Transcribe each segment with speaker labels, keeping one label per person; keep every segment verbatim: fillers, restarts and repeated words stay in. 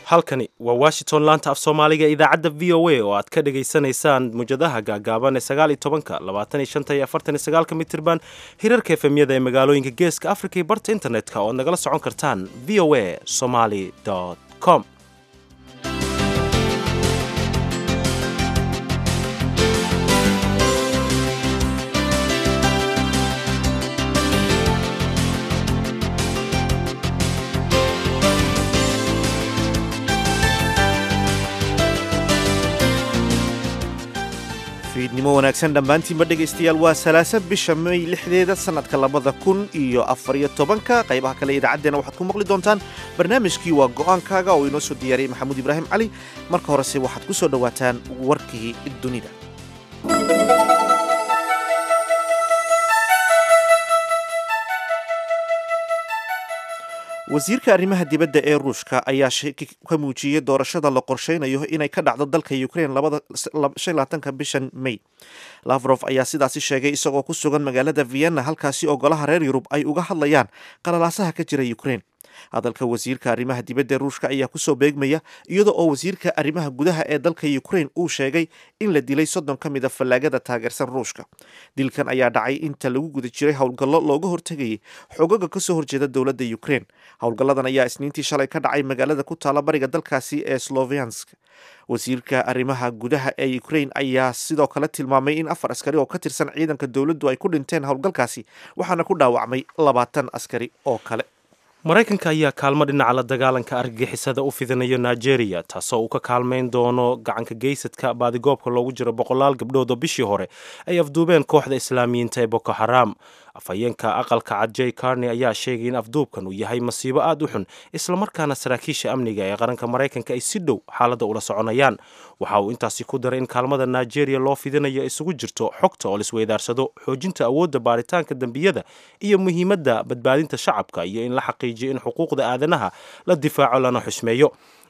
Speaker 1: Halkani waa Washington, laanta af Soomaaliga, idaacadda V O A oo aad ka dhagaysanaysaan mowjadaha gaagaaban ee sagaal iyo tobanka, labaatan iyo shanta iyo afartan iyo sagaalka mitirban, hirarka F M-yada ee magaalooyinka Geeska Africa iyo barta internetka oo ad nagala socon kartaan V O A Somali com.
Speaker 2: Fiidnimo wanaagsan dhammaantiinba, dhegaystayaal. Waa Salaasa, bisha May lixdeeda, sannadka labada kun iyo afariyo tobanka. Qaybaha kale idaacaddeenna waxaad ku maqli doontaan barnaamijkii Waa Go'aankaaga oo inoo soo diyaariyey Maxamuud Ibraahim Cali. Marka horese waxaad ku soo dhowaataan warkii dunida. Wasiirka arrimaha dibadda ee Ruushka ayaa shaki ka muujiyey doorashada la qorsheynayo inay ka dhacdo dalka Ukraine labaatanka bishan May. Lavrov ayaa sidaasi sheegay isagoo ku sugan magaalada Vienna, halkaasi oo golaha reer Yurub ay uga hadlayaan qalalaasaha ka jira Ukraine. Hadalka wasiirka arrimaha dibadda ee Ruushka ayaa kusoo beegmaya iyada oo wasiirka arrimaha gudaha ee dalka Ukraine uu sheegay in la dilay soddon ka mid a fallaagada taageersan Ruushka. Dilkan ayaa dhacay inta lagu guda jiray howlgallo looga hortegayay xogaga kasoo horjeeda dowladda Ukraine. Howlgalladan ayaa Isniintii shalay ka dhacay magaalada ku taala bariga dalkaasi ee Sloviansk. Wasiirka arrimaha gudaha ee Ukraine ayaa sidoo kale tilmaamay in afar askari oo ka tirsan ciidanka dowladdu ay ku dhinteen howlgalkaasi, waxaana ku dhaawacmay labaatan askari oo kale.
Speaker 1: Maraykanka ayaa kaalmo dhinaca la dagaalanka argagixisada u fidinayo Nigeria, taasoo uu ka kaalmayn doono gacanka geysadka baadigoobka loogu jiro boqolaal gabdhood oo bishii hore ay afduubeen kooxda Islaamiyiinta ee Boko Haram. Afhayeenka Aqalka Cad Jay Carney ayaa sheegay in afduubkan uu yahay masiibo aad u xun, islamarkaana saraakiisha amniga ee qaranka Maraykanka ay si dhow xaaladda ula soconayaan. Waxa uu intaasi ku daray in kaalmada Nigeria loo fidinayo isugu jirto xogta oo laisweydaarsado, xoojinta awoodda baaritaanka dembiyada iyo muhiimadda badbaadinta shacabka, iyo in la xaqiijiyo in xuquuqda aadanaha la difaaco lana xushmeeyo.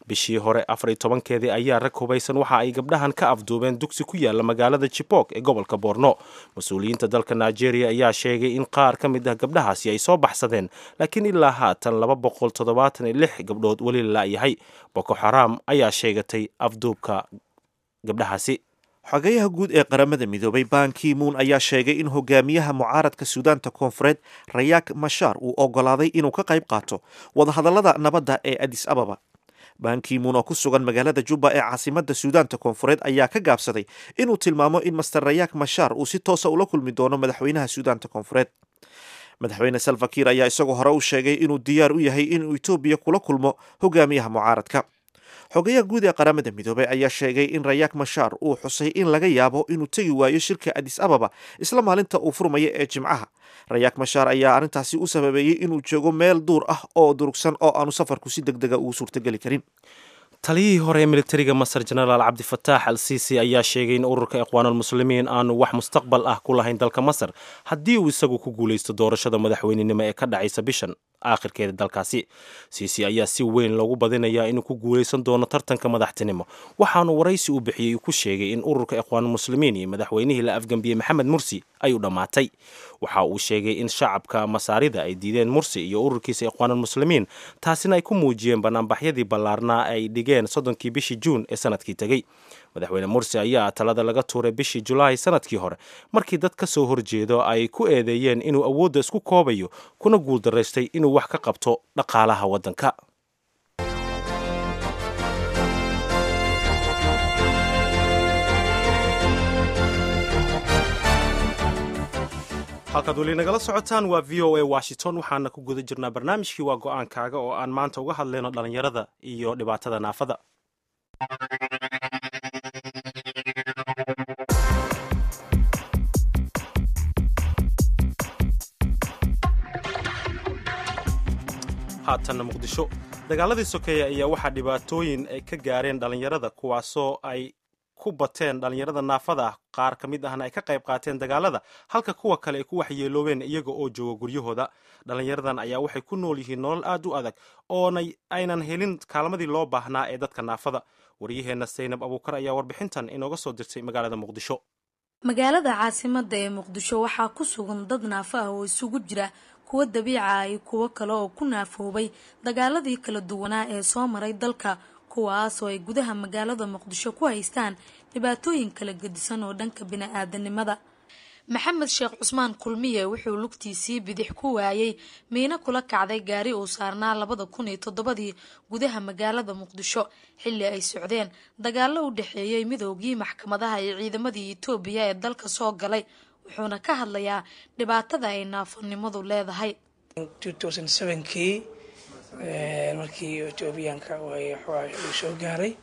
Speaker 1: Bishii hore afar iyo tobankeedii ayaa rag hubaysan waxa ay gabdhahan ka afduubeen dugsi ku yaala magaalada Chibok ee gobolka Borno. Mas-uuliyiinta dalka Nigeria ayaa sheegay in qaar ka mid ah gabdhahaasi ay soo baxsadeen, laakiin ilaa haatan laba boqol toddobaatan iyo lix gabdhood weli la la'yahay. Boko Xaram ayaa sheegatay afduubka gabdhahaasi.
Speaker 2: Xogayaha guud ee Qaramada Midoobay Ban Ki Moon ayaa sheegay in hogaamiyaha mucaaradka Suudaanta Koonfureed Rayaak Mashar uu ogolaaday inuu ka qayb qaato wadahadallada nabadda ee Adis Ababa. Ban Ki Moon oo ku sugan magaalada Juba ee caasimada Suudaanta Koonfureed ayaa ka gaabsaday inuu tilmaamo in Mister Rayaak Mashar uu si toosa ula kulmi doono madaxweynaha Suudaanta Koonfureed. Madaxweyne Salva Kiir ayaa isagoo hore u sheegay inuu diyaar u yahay inuu Etoobiya kula kulmo hogaamiyaha mucaaradka. Xogayaha guud ee Qaramada Midoobay ayaa sheegay in Rayaak Mashar uu xusay in laga yaabo inuu tegi waayo shirka Adis Ababa isla maalinta uu furmaya ee Jimcaha. Rayaak Mashar ayaa arrintaasi u sababeeyey inuu joogo meel duur ah oo durugsan oo aanu safarku si deg dega ugu suurtageli karin.
Speaker 1: Taliyihii hore ee militariga Masar, Jenaraal Cabdifataax al Siisi, ayaa sheegay in ururka Ikhwaanulmuslimiin aanu wax mustaqbal ah ku lahayn dalka Masar haddii uu isagu ku guulaysto doorashada madaxweynenimo ee ka dhacaysa bishan aakhirkeeda dalkaasi. Siisi ayaa si weyn loogu badinayaa inuu ku guulaysan doono tartanka madaxtinimo, waxaanu waraysi uu bixiyey ku sheegay in ururka Ikhwaanulmuslimiin iyo madaxweynihii la afgambiyey Maxamed Mursi ay u dhammaatay. Waxa uu sheegay in shacabka Masaarida ay diideen Mursi iyo ururkiisa Ikhwaanulmuslimiin, taasina ay ku muujiyeen banaanbaxyadii ballaarnaa ay dhigeen soddonkii bishii Juun ee sanadkii tegey. Madaxweyne Mursi ayaa talada laga tuuray bishii Julaay sanadkii hore, markii dad ka soo horjeedo ay ku eedeeyeen inuu awoodda isku koobayo kuna guuldaraystay inuu wax ka qabto dhaqaalaha waddanka. Halkaad weli nagala socotaan waa V O A Washington. Waxaana ku guda jirnaa barnaamijkii Waa Go'aankaaga oo aan maanta uga hadlayno dhalinyarada iyo dhibaatada naafada. Haatanna Muqdisho. Dagaaladii sokeeye ayaa waxaa dhibaatooyin ay ka gaareen dhalinyarada, kuwaasoo ay ku bateen dhalinyarada naafada ah. Qaar ka mid ahna ay ka qayb qaateen dagaalada, halka kuwa kale ay ku waxyeeloobeen iyaga oo jooga guryahooda. Dhalinyaradan ayaa waxay ku nool yihiin nolol aad u adag oonay aynan helin kaalmadii loo baahnaa ee dadka naafada. Waryaheenna Saynab Abuukar ayaa warbixintan inooga soo dirtay magaalada Muqdisho.
Speaker 3: Magaalada caasimadda ee Muqdisho waxaa ku sugan dad naafo ah oo isugu jira kuwo dabiica ah iyo kuwo kale oo ku naafoobay dagaaladii kala duwanaa ee soo maray dalka, Kuwaas oo ay gudaha magaalada Muqdisho ku haystaan dhibaatooyin kala gedisan oo dhanka bini-aadanimada. Maxamed Sheekh Cusmaan Kulmiye wuxuu lugtiisii bidix ku waayay miino kula kacday gaari uu saarnaa labada kun iyo toddobadii gudaha magaalada Muqdisho, xilli ay socdeen dagaallo u dhexeeyey midoogii maxkamadaha iyo ciidamadii Itoobiya ee dalka soo galay. Wuxuuna ka hadlayaa dhibaatada ay naafonimadu leedahay.
Speaker 4: Kii markii Etoobiyaanka uu soo gaaray,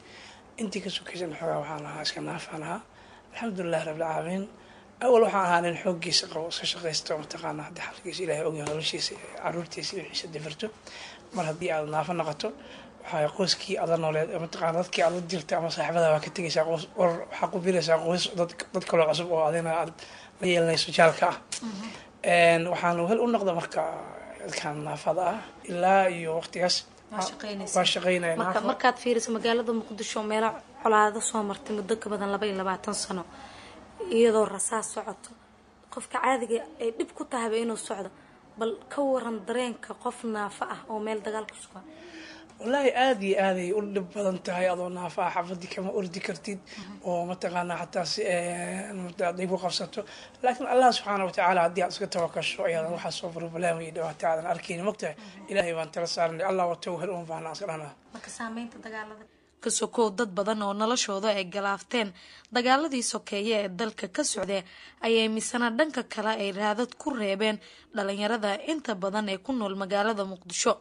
Speaker 4: intii ka sokaysan xoogaa waxaan ahaa iska naafaan ahaa. Alxamdulilah rabbilcaalamiin. Awal waxaan ahaa nin xooggiisa qabo, iska shaqaysto, mataqaana haddii xalkiisa Ilahay ogyahay, noloshiisa, caruurtiisa iyo wixiisa difirto. Mar haddii aad naafo noqoto, waxaa qoyskii aad la nooleed, mataqaana dadkii aad la jirta ama saaxiibada waa ka tegaysaa, qoys or waxaa ku biiraysaa qoys dad dad kaloo cusub oo adina aad la yeelanayso jaalka ah. Waxaan wehel u noqda marka dadkan naafada ah ilaa iyo waqtigaas waa shaqeynaya.
Speaker 3: Marka markaad fiiriso magaalada Muqdisho, meelo colaado soo martay muddo ka badan laba iyo labaatan sano, iyadoo rasaas socoto, qofka caadiga ay dhib ku tahayba inuu socdo, bal ka waran dareenka qof naafo ah oo meel dagaal ku sugan?
Speaker 4: Wallaahi aada iyo aaday u dhib badan tahay. Adoo naafa ah xafadii kama ordi kartid oo mataqaanaa xataa si haday ku qabsato, laakiin Allah subxaana watacaala haddii aad iska tawakasho, ayaadan waxaa soo problem iyo dhibaato aadan arkayni. Mogtahay, Ilaahay baan tala saarnay, Allah wato hel un baana iska dhanaa.
Speaker 3: Marka saameynta dagaalada ka sokow, dad badan oo noloshooda ay galaafteen dagaaladii sokeeye ee dalka ka socdee ayay misana dhanka kale ay raadad ku reebeen dhalinyarada inta badan ee ku nool magaalada Muqdisho.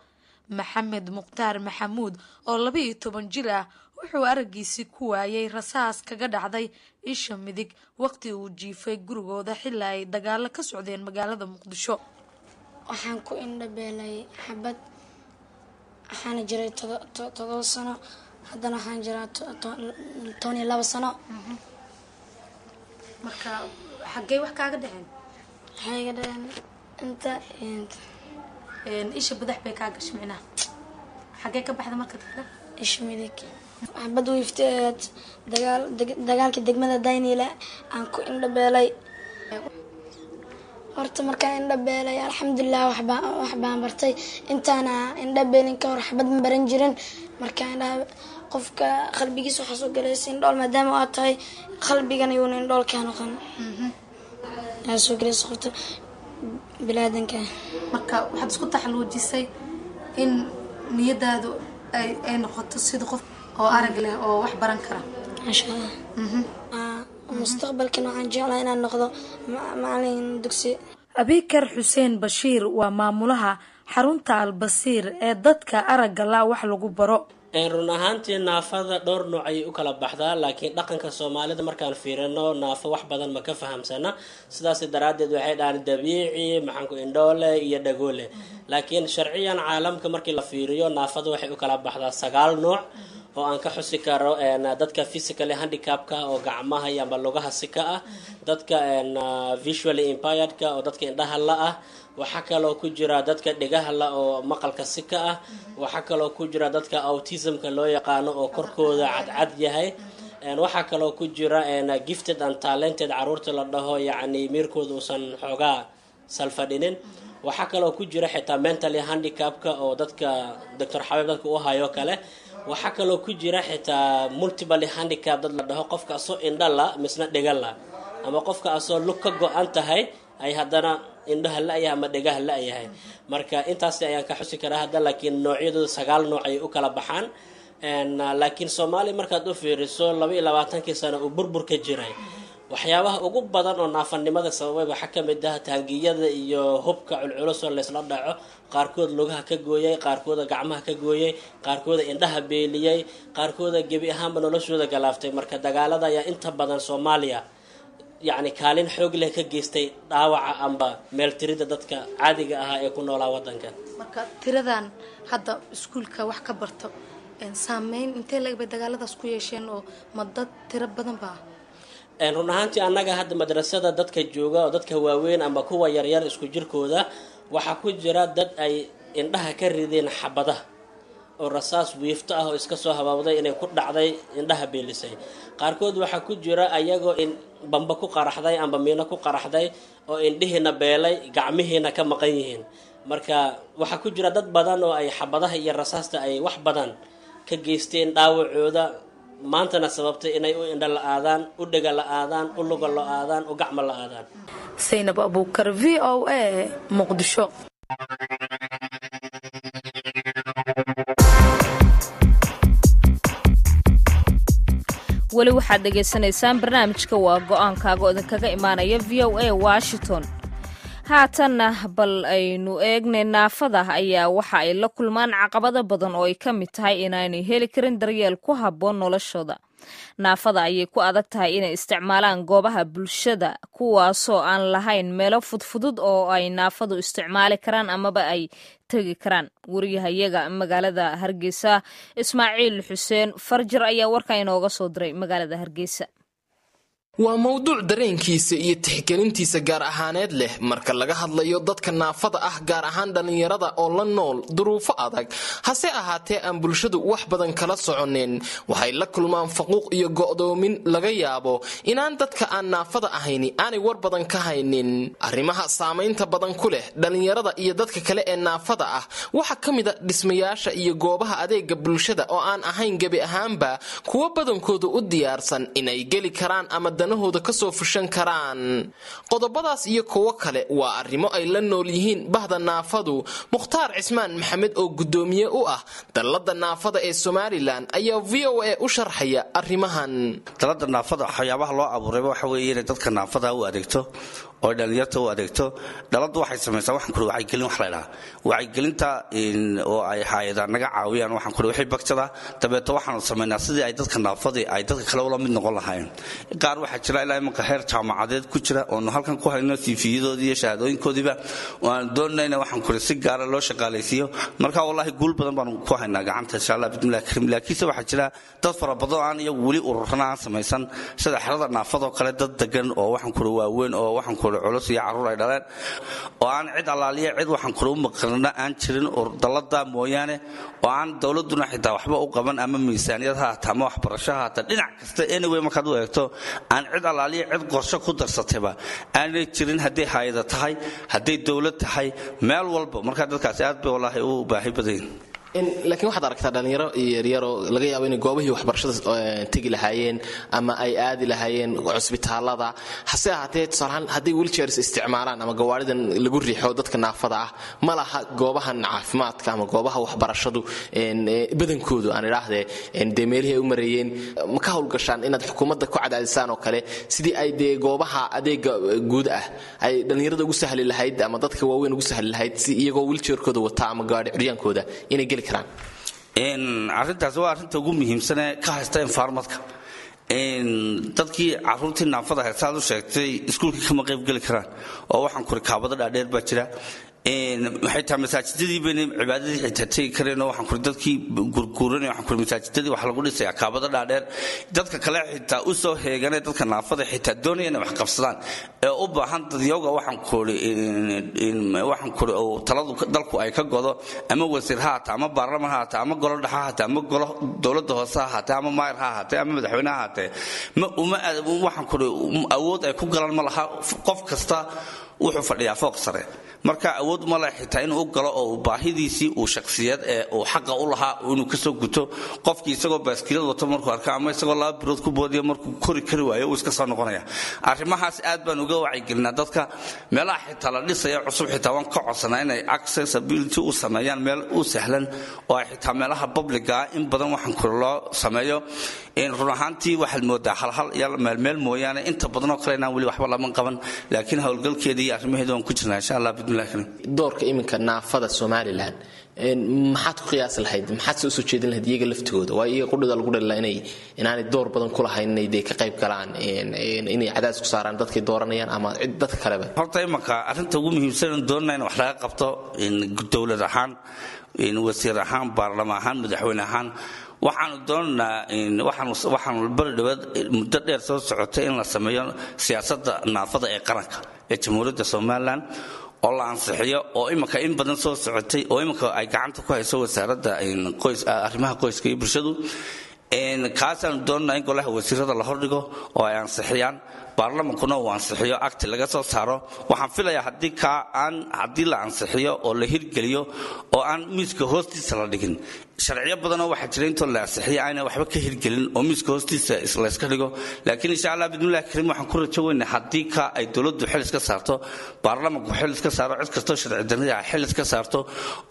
Speaker 3: Maxamed Mukhtaar Maxamuud oo laba iyo toban jir ah wuxuu araggiisii ku waayay rasaas kaga dhacday isha midig waqti uu jiifay gurigooda xilli ay dagaalo ka socdeen magaalada Muqdisho.
Speaker 5: Waxaan ku indhabeelay xabad. Waxaana jiray todoba sano, haddana waxaan jiraa toban iyo laba sano.
Speaker 3: Marka xaggee wax kaaga dhaceen?
Speaker 5: Waxay iga dhaceen inta iyo inta.
Speaker 3: Isha badax bay kaa gashay micnaha? Xaggee ka baxda marka dadka?
Speaker 5: Isha midig. Xabad wiifteed dagaal dagaalka degmada Dayniile aan ku indhabeelay. Horta markaan indhabeelay, alxamdulilah, waxbaa wax baan bartay. Intaana indhabeelin ka hor xabad ma baran jirin. Markaa indhaha qofka qalbigiisa waxaa soo galaysa indhool maadaama aad tahay, qalbigan yuuna indhool kaa noqon aa soo galaysa qofta bilaadanka.
Speaker 3: Marka waxaad isku taxaluujisay in niyadaadu ay ay noqoto sida qof oo arag leh oo wax baran kara.
Speaker 5: Maasha Allah. Mustaqbalkan waxaan jeclahay inaan noqdo macalin dugsi.
Speaker 3: Abikar Xuseen Bashiir waa maamulaha xarunta Albasiir ee dadka aragga la wax lagu baro.
Speaker 6: Run ahaantii naafada dhowr nooc ayay u kala baxdaa, laakiin dhaqanka Soomaalida markaan fiirino naafo wax badan ma ka fahamsana. Sidaas daraaddeed waxay dhahaan dabiici, maxaanku, indhoole iyo dhagoole. Laakiin sharciyan caalamka markii la fiiriyo, naafada waxay u kala baxdaa sagaal nooc oo aan ka xusi karo: dadka physically handicapka oo gacmaha iyo amba lugaha si ka ah, dadka visually impairedka oo dadka indhaha la ah, waxaa kaloo ku jira dadka dhegaha la oo maqalka si ka ah, waxaa kaloo ku jira dadka autismka loo yaqaano oo korkooda cadcad yahay, waxaa kaloo ku jira gifted and talented caruurta la dhaho, yacni miirkooda uusan xoogaa salfadhinin, waxaa kaloo ku jira xitaa mentally handicapka oo dadka Doctor Xabiib dadka u hayo kale, waxaa kaloo ku jira xitaa multiple handicap dad la dhaho, qofka asoo indha la misna dhega la, ama qofka asoo lug ka go-an tahay ay haddana indhaha la-yahay ama dhegaha la-yahay. Marka intaas ayaan ka xusi karaa hadda, laakiin noocyadooda sagaal nooc ayay u kala baxaan. Laakiin Soomaaliya markaad u fiiriso, laba iyo labaatankii sano uu burburka jiray, waxyaabaha ugu badan oo naafanimada sababay waxaa ka mid ah taangiyada iyo hubka culculusoo laysla dhaco, qaarkood lugaha ka gooyay, qaarkooda gacmaha ka gooyay, qaarkooda indhaha beeliyey, qaarkooda gebi ahaanba noloshooda galaaftay. Marka dagaalada ayaa inta badan Soomaaliya yacni kaalin xoog leh ka geystay dhaawaca amba meeltirida dadka caadiga ahaa ee ku noolaa wadanka.
Speaker 3: Marka tiradan hadda iskuulka wax ka barto, saameyn intee leeg bay dagaaladaas ku yeesheen, oo ma dad tiro badan ba?
Speaker 6: Run ahaantii annaga hadda madrasada dadka jooga oo dadka waaweyn ama kuwa yaryar isku jirkooda, waxaa ku jira dad ay indhaha ka rideen xabadaha oo rasaas wiifto ah oo iska soo habaabday inay ku dhacday indhaha beelisay. Qaarkood waxaa ku jira ayagoo in bamba ku qaraxday amba miino ku qaraxday oo indhihiina beelay, gacmihiina ka maqan yihiin. Marka waxaa ku jira dad badan oo ay xabadaha iyo rasaasta ay wax badan ka geysteen dhaawacooda, maantana sababtay inay u indho la-aadaan, u dhega la-aadaan, u luga la-aadaan, u gacmo la-aadaan.
Speaker 3: Saynab Abuukar, V O A, Muqdisho.
Speaker 7: Weli waxaad dhegaysanaysaan barnaamijka Waa Go-aankaaga oo idinkaga imaanaya V O A Washington. Haatanna bal aynu eegnay. Naafada ayaa waxa ay la kulmaan caqabado badan oo ay ka mid tahay inaanay heli karin daryeel ku habboon noloshooda. Naafada ayay ku adag tahay inay isticmaalaan goobaha bulshada, kuwaasoo aan lahayn meelo fudfudud oo ay naafadu isticmaali karaan amaba ay tegi karaan. Wariyahayaga magaalada Hargeysa, Ismaaciil Xuseen Farjir, ayaa warkan inooga soo diray magaalada Hargeysa.
Speaker 8: Waa mowduuc dareenkiisa iyo tixgelintiisa gaar ahaaneed leh marka laga hadlayo dadka naafada ah, gaar ahaan dhallinyarada oo la nool duruufo adag, hase ahaatee aan bulshadu wax badan kala soconin. Waxay la kulmaan faquuq iyo go'doomin laga yaabo inaan dadka aan naafada ahayni aanay war badan ka haynin. Arrimaha saamaynta badan ku leh dhallinyarada iyo dadka kale ee naafada ah waxaa ka mid a dhismayaasha iyo goobaha adeega bulshada oo aan ahayn gebi ahaanba kuwo badankooda u diyaarsan inay geli karaan ama danahooda kasoo fushan karaan. Qodobadaas iyo kuwo kale waa arrimo ay la nool yihiin bahda naafadu. Mukhtaar Cismaan Maxamed oo guddoomiye u ah Dallada Naafada ee Somalilan ayaa V O A u sharxaya arrimahan.
Speaker 9: Dalada naafada waxyaabaha loo abuurayba waxa weeye inay dadka naafada u adeegto oo dhalinyarta u adeegto. Daladu waxay samaysaa, waxaan kuri, wacyigelin. Wax la idhaha wacyigelinta oo ay hayadaan naga caawiyaan, waxaan kuri, wixii bagjada. Dabeeto waxaanu samaynaa sidii ay dadka naafadii ay dadka kale ula mid noqon lahaayeen. Qaar waxaa jira ilaa imanka heer jaamacadeed ku jira oonu halkan ku hayno siifiyadoodii iyo shahaadooyinkoodiiba, oo aan doonayna, waxaan kuri, si gaara loo shaqaalaysiiyo. Marka wallaahi guul badan baanu ku haynaa gacanta, insha Allah, bismillahi karim. Laakiinse waxaa jira dad fara badan oo aan iyagu weli ururana aan samaysan, sida xerada naafadoo kale, dad degan oo, waxaan kuri, waaweyn oo, waxaan kuri, culus iyo carruur ay dhaleen oo aan cid allaaliya cid, waxaan kuri, u maqrina aan jirin dalada mooyaane, oo aan dowladuna xitaa waxba u qaban, ama miisaaniyad ha hata ama waxbarasho ha hata, dhinac kasta anyway markaad u eegto aan cid allaaliya cid qorshe ku darsatayba aanay jirin, hadday hayada tahay, hadday dowlad tahay, meel walba. Markaa dadkaasi aad bay wallaahi u baahi badan yihin.
Speaker 8: Laakiin waxaad aragtaa dhalinyaro yaryaroo laga yaabo inay goobihii waxbarashada tegi lahaayeen ama ay aadi lahaayeen cusbitaalada, hase ahaatee tusaalahaan hadday wheelchairs isticmaalaan ama gawaaridan lagu riixo dadka naafada ah, ma laha goobahan caafimaadka ama goobaha waxbarashadu badankoodu, aan idhaahdee, dee meelihii ay u mareeyeen. Ma ka howlgashaan inaad xukuumadda ku cadaadisaan oo kale sidii ay dee goobaha adeega guud ah ay dhalinyarada ugu sahli lahayd ama dadka waaweyn ugu sahli lahayd si iyagoo wheelchairkooda wata ama gawaari curyaankooda inay geli karaan?
Speaker 9: Arrintaasi waa arrinta ugu muhiimsanee ka haysta environmentka. Dadkii caruurtii naafada ahayd, saad u sheegtay, iskuulkii kama qayb geli karaan oo, waxaan kuri, kaabado dhaadheer baa jira. Xitaa masaajidadii bayna cibaadadii xitaa tegi kareen oo, waxaan kuri, dadkii gurguuranay, waxaan kuri, masaajidadii waxaa lagu dhisayaa kaabado dhaadheer. Dadka kale xitaa u soo heeganay, dadka naafada xitaa doonaya inay wax qabsadaan ee u baahan dadyoga, waxaan kuri waxaan kuri oo taladu dalku ay ka godo, ama wasiir ha hata, ama baarlaman ha hata, ama golo dhexa ha hata, ama golo dowladda hoose ha ahaatee, ama maayar ha ahaatee, ama madaxweyne ha ahaatee, ma uma, waxaan kuri, awood ay ku galaan ma laha. Qof kasta wuxuu fadhiyaa fooq sare, marka awood ma leh xitaa inuu u galo oo baahidiisii uu shakhsiyad ee uu xaqa u lahaa inuu kasoo guto. Qofkii isagoo baaskiilad wato markuu arko ama isagoo laba birood ku boodiyo, markuu kori kari waayo uu iska soo noqonaya. Arrimahaas aad baan uga wacyigelinaa dadka. Meelaha xitaa la dhisaya cusub xitaa waan ka codsanaa inay accessibility u sameeyaan, meel u sahlan oo ay xitaa meelaha publica in badan, waxaan kuri, loo sameeyo. Run ahaantii waxaad moodaa halhal iyo meelmeel mooyaane inta badanoo kale inaan weli waxba laman qaban, laakiin howlgalkeedii iyo arrimaheedi waan ku jirnaa, insha Allah, bismillahi karim.
Speaker 8: Doorka iminka naafada Somalilan maxaad ku qiyaasi lahayd? Maxaad se usoo jeedin lahayd iyaga laftigooda? Waa iyaga qudhida lagu dhalila inay inaanay door badan ku lahayn inay dee ka qayb galaan, inay cadaadis ku saaraan dadkay dooranayaan ama cid dadka kaleba.
Speaker 9: Horta imanka arrinta ugu muhiimsan doonana in wax laga qabto, dowlad ahaan, wasiir ahaan, baarlama ahaan, madaxweyne ahaan, waxaanu doonaynaa, waxaanu bari dhawaad muddo dheer soo socotay in la sameeyo siyaasadda naafada ee qaranka ee Jamhuuriyadda Somalilan oo la ansixiyo, oo imanka in badan soo socotay, oo imanka ay gacanta ku hayso wasaaradda arrimaha qoyska iyo bulshadu. Kaasaanu doonanaa in golaha wasiirada la hordhigo oo ay ansixiyaan. Baarlamankuna uu ansixiyo, acti laga soo saaro. Waxaan filayaa haddii kaa aan haddii la ansixiyo oo la hirgeliyo oo aan miiska hoostiisa la dhigin, sharciyo badanoo waxaa jira intoo la ansixiyo ayna waxba ka hirgelin oo miiska hoostiisa layska dhigo. Laakiin insha Allah bidnillahi kariim waxaan ku rajo weynaa haddii ka ay dowladdu xil iska saarto, baarlamanku xil iska saaro, cid kastoo sharci darrida xil iska saarto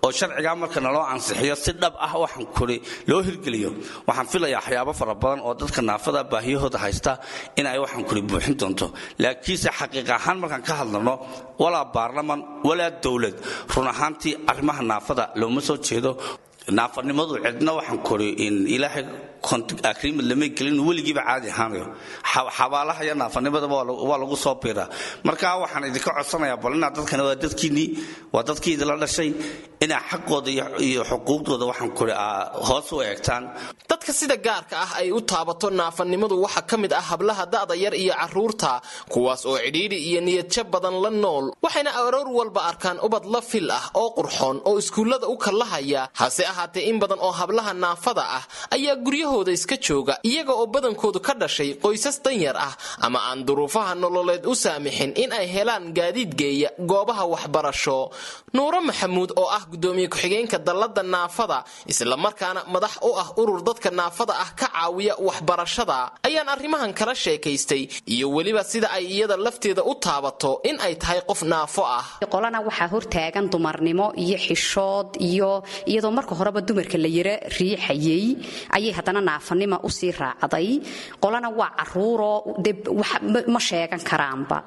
Speaker 9: oo sharcigaa marka naloo ansixiyo si dhab ah waxaan kuri loo hirgeliyo, waxaan filayaa waxyaabo fara badan oo dadka naafada baahiyahooda haysta in ay waxaan kuri buuxin doonto. Laakiinse xaqiiq ahaan markaan ka hadlano, walaa baarlaman walaa dowlad, run ahaantii arrimaha naafada looma soo jeedo. Naafanimadu cidna waxaan kori in Ilaahay agreement lama gelin, weligiiba caadi ahaanayo. Xabaalaha iyo naafanimadaba waa lagu soo biiraa. Marka waxaan idinka codsanayaa bal inaad dadkana, waa dadkiinnii, waa dadkii idinla dhashay, inaa xaqooda iyo xuquuqdooda waxaan kori hoos u eegtaan.
Speaker 8: Dadka sida gaarka ah ay u taabato naafanimadu waxaa ka mid ah hablaha da'da yar iyo carruurta, kuwaas oo cidhiidhi iyo niyadjab badan la nool, waxayna aroor walba arkaan ubad la fil ah oo qurxoon oo iskuullada u kallahaya. Hase ahaatee in badan oo hablaha naafada ah ayaa guryahooda iska jooga, iyaga oo badankoodu ka dhashay qoysas danyar ah ama aan duruufaha nololeed u saamixin in ay helaan gaadiid geeya goobaha waxbarasho. Nuuro Maxamuud oo ah gudoomiye ku-xigeenka dallada naafada, islamarkaana madax u ah urur dadka naafada ah ka caawiya waxbarashada, ayaan arrimahan kala sheekaystay iyo weliba sida ay iyada lafteeda u taabato in ay tahay qof naafo ah.
Speaker 10: Qolana waxaa hortaagan dumarnimo iyo xishood, iyo iyadoo marka horeba dumarka la yara riixayay ayay haddana naafanima usii raacday. Qolana waa caruuroo de ma sheegan karaanba,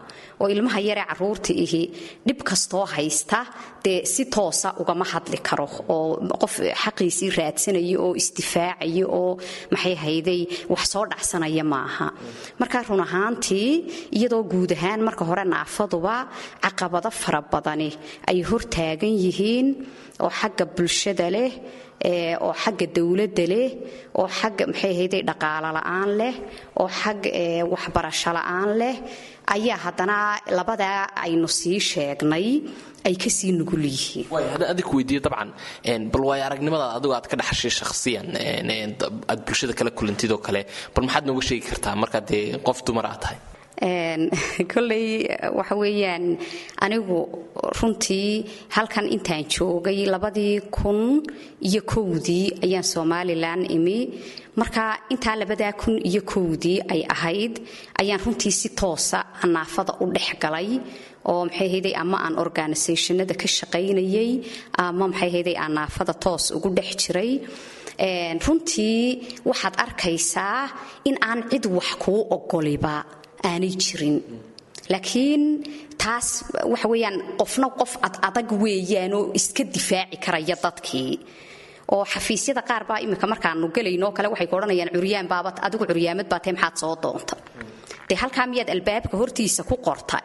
Speaker 10: oo ilmaha yaree caruurta ihi dhib kastoo haysta dee si toosa ugama hadli karo, oo qof xaqiisii raadsanaya oo isdifaacaya oo maxay hayday wax soo dhacsanaya maaha. Marka run ahaantii, iyadoo guud ahaan marka hore naafaduba caqabado fara badani ay hortaagan yihiin oo xagga bulshada leh, oo xagga dowladda leh, oo xagga maxay hayday dhaqaalo la'aan leh, oo xag waxbarasho la'aan leh, ayaa haddana labadaa aynu sii sheegnay ay kasii nugul yihiin.
Speaker 8: Haddaan adig weydiiyo, dabcan bal waayo aragnimadaad adigu aad ka dhaxashay shakhsiyan aad bulshada kala kulantid oo kale, bal maxaad nooga sheegi kartaa markaad dee qof dumar aad tahay?
Speaker 10: Kolley waxa weeyaan, anigu runtii halkan intaan joogay, labadii kun iyo kowdii ayaan Somalilan imi. Marka intaa labadaa kun iyo kowdii ay ahayd ayaan runtii si toosa naafada u dhex galay, oo maxay hayday ama aan organisationada ka shaqaynayay ama maxay hayday aan naafada toos ugu dhex jiray. Runtii waxaad arkaysaa in aan cid wax kuu ogoliba aanay jirin, laakiin taas waxa weeyaan qofna qof ad adag weeyaanoo iska difaaci karaya dadkii. Oo xafiisyada qaar baa iminka markaanu gelaynoo kale waxay ku odhanayaan, "Curyaan baaba adigu, curyaamad baa tahay, maxaad soo doonta?" Dee halkaa miyaad albaabka hortiisa ku qorta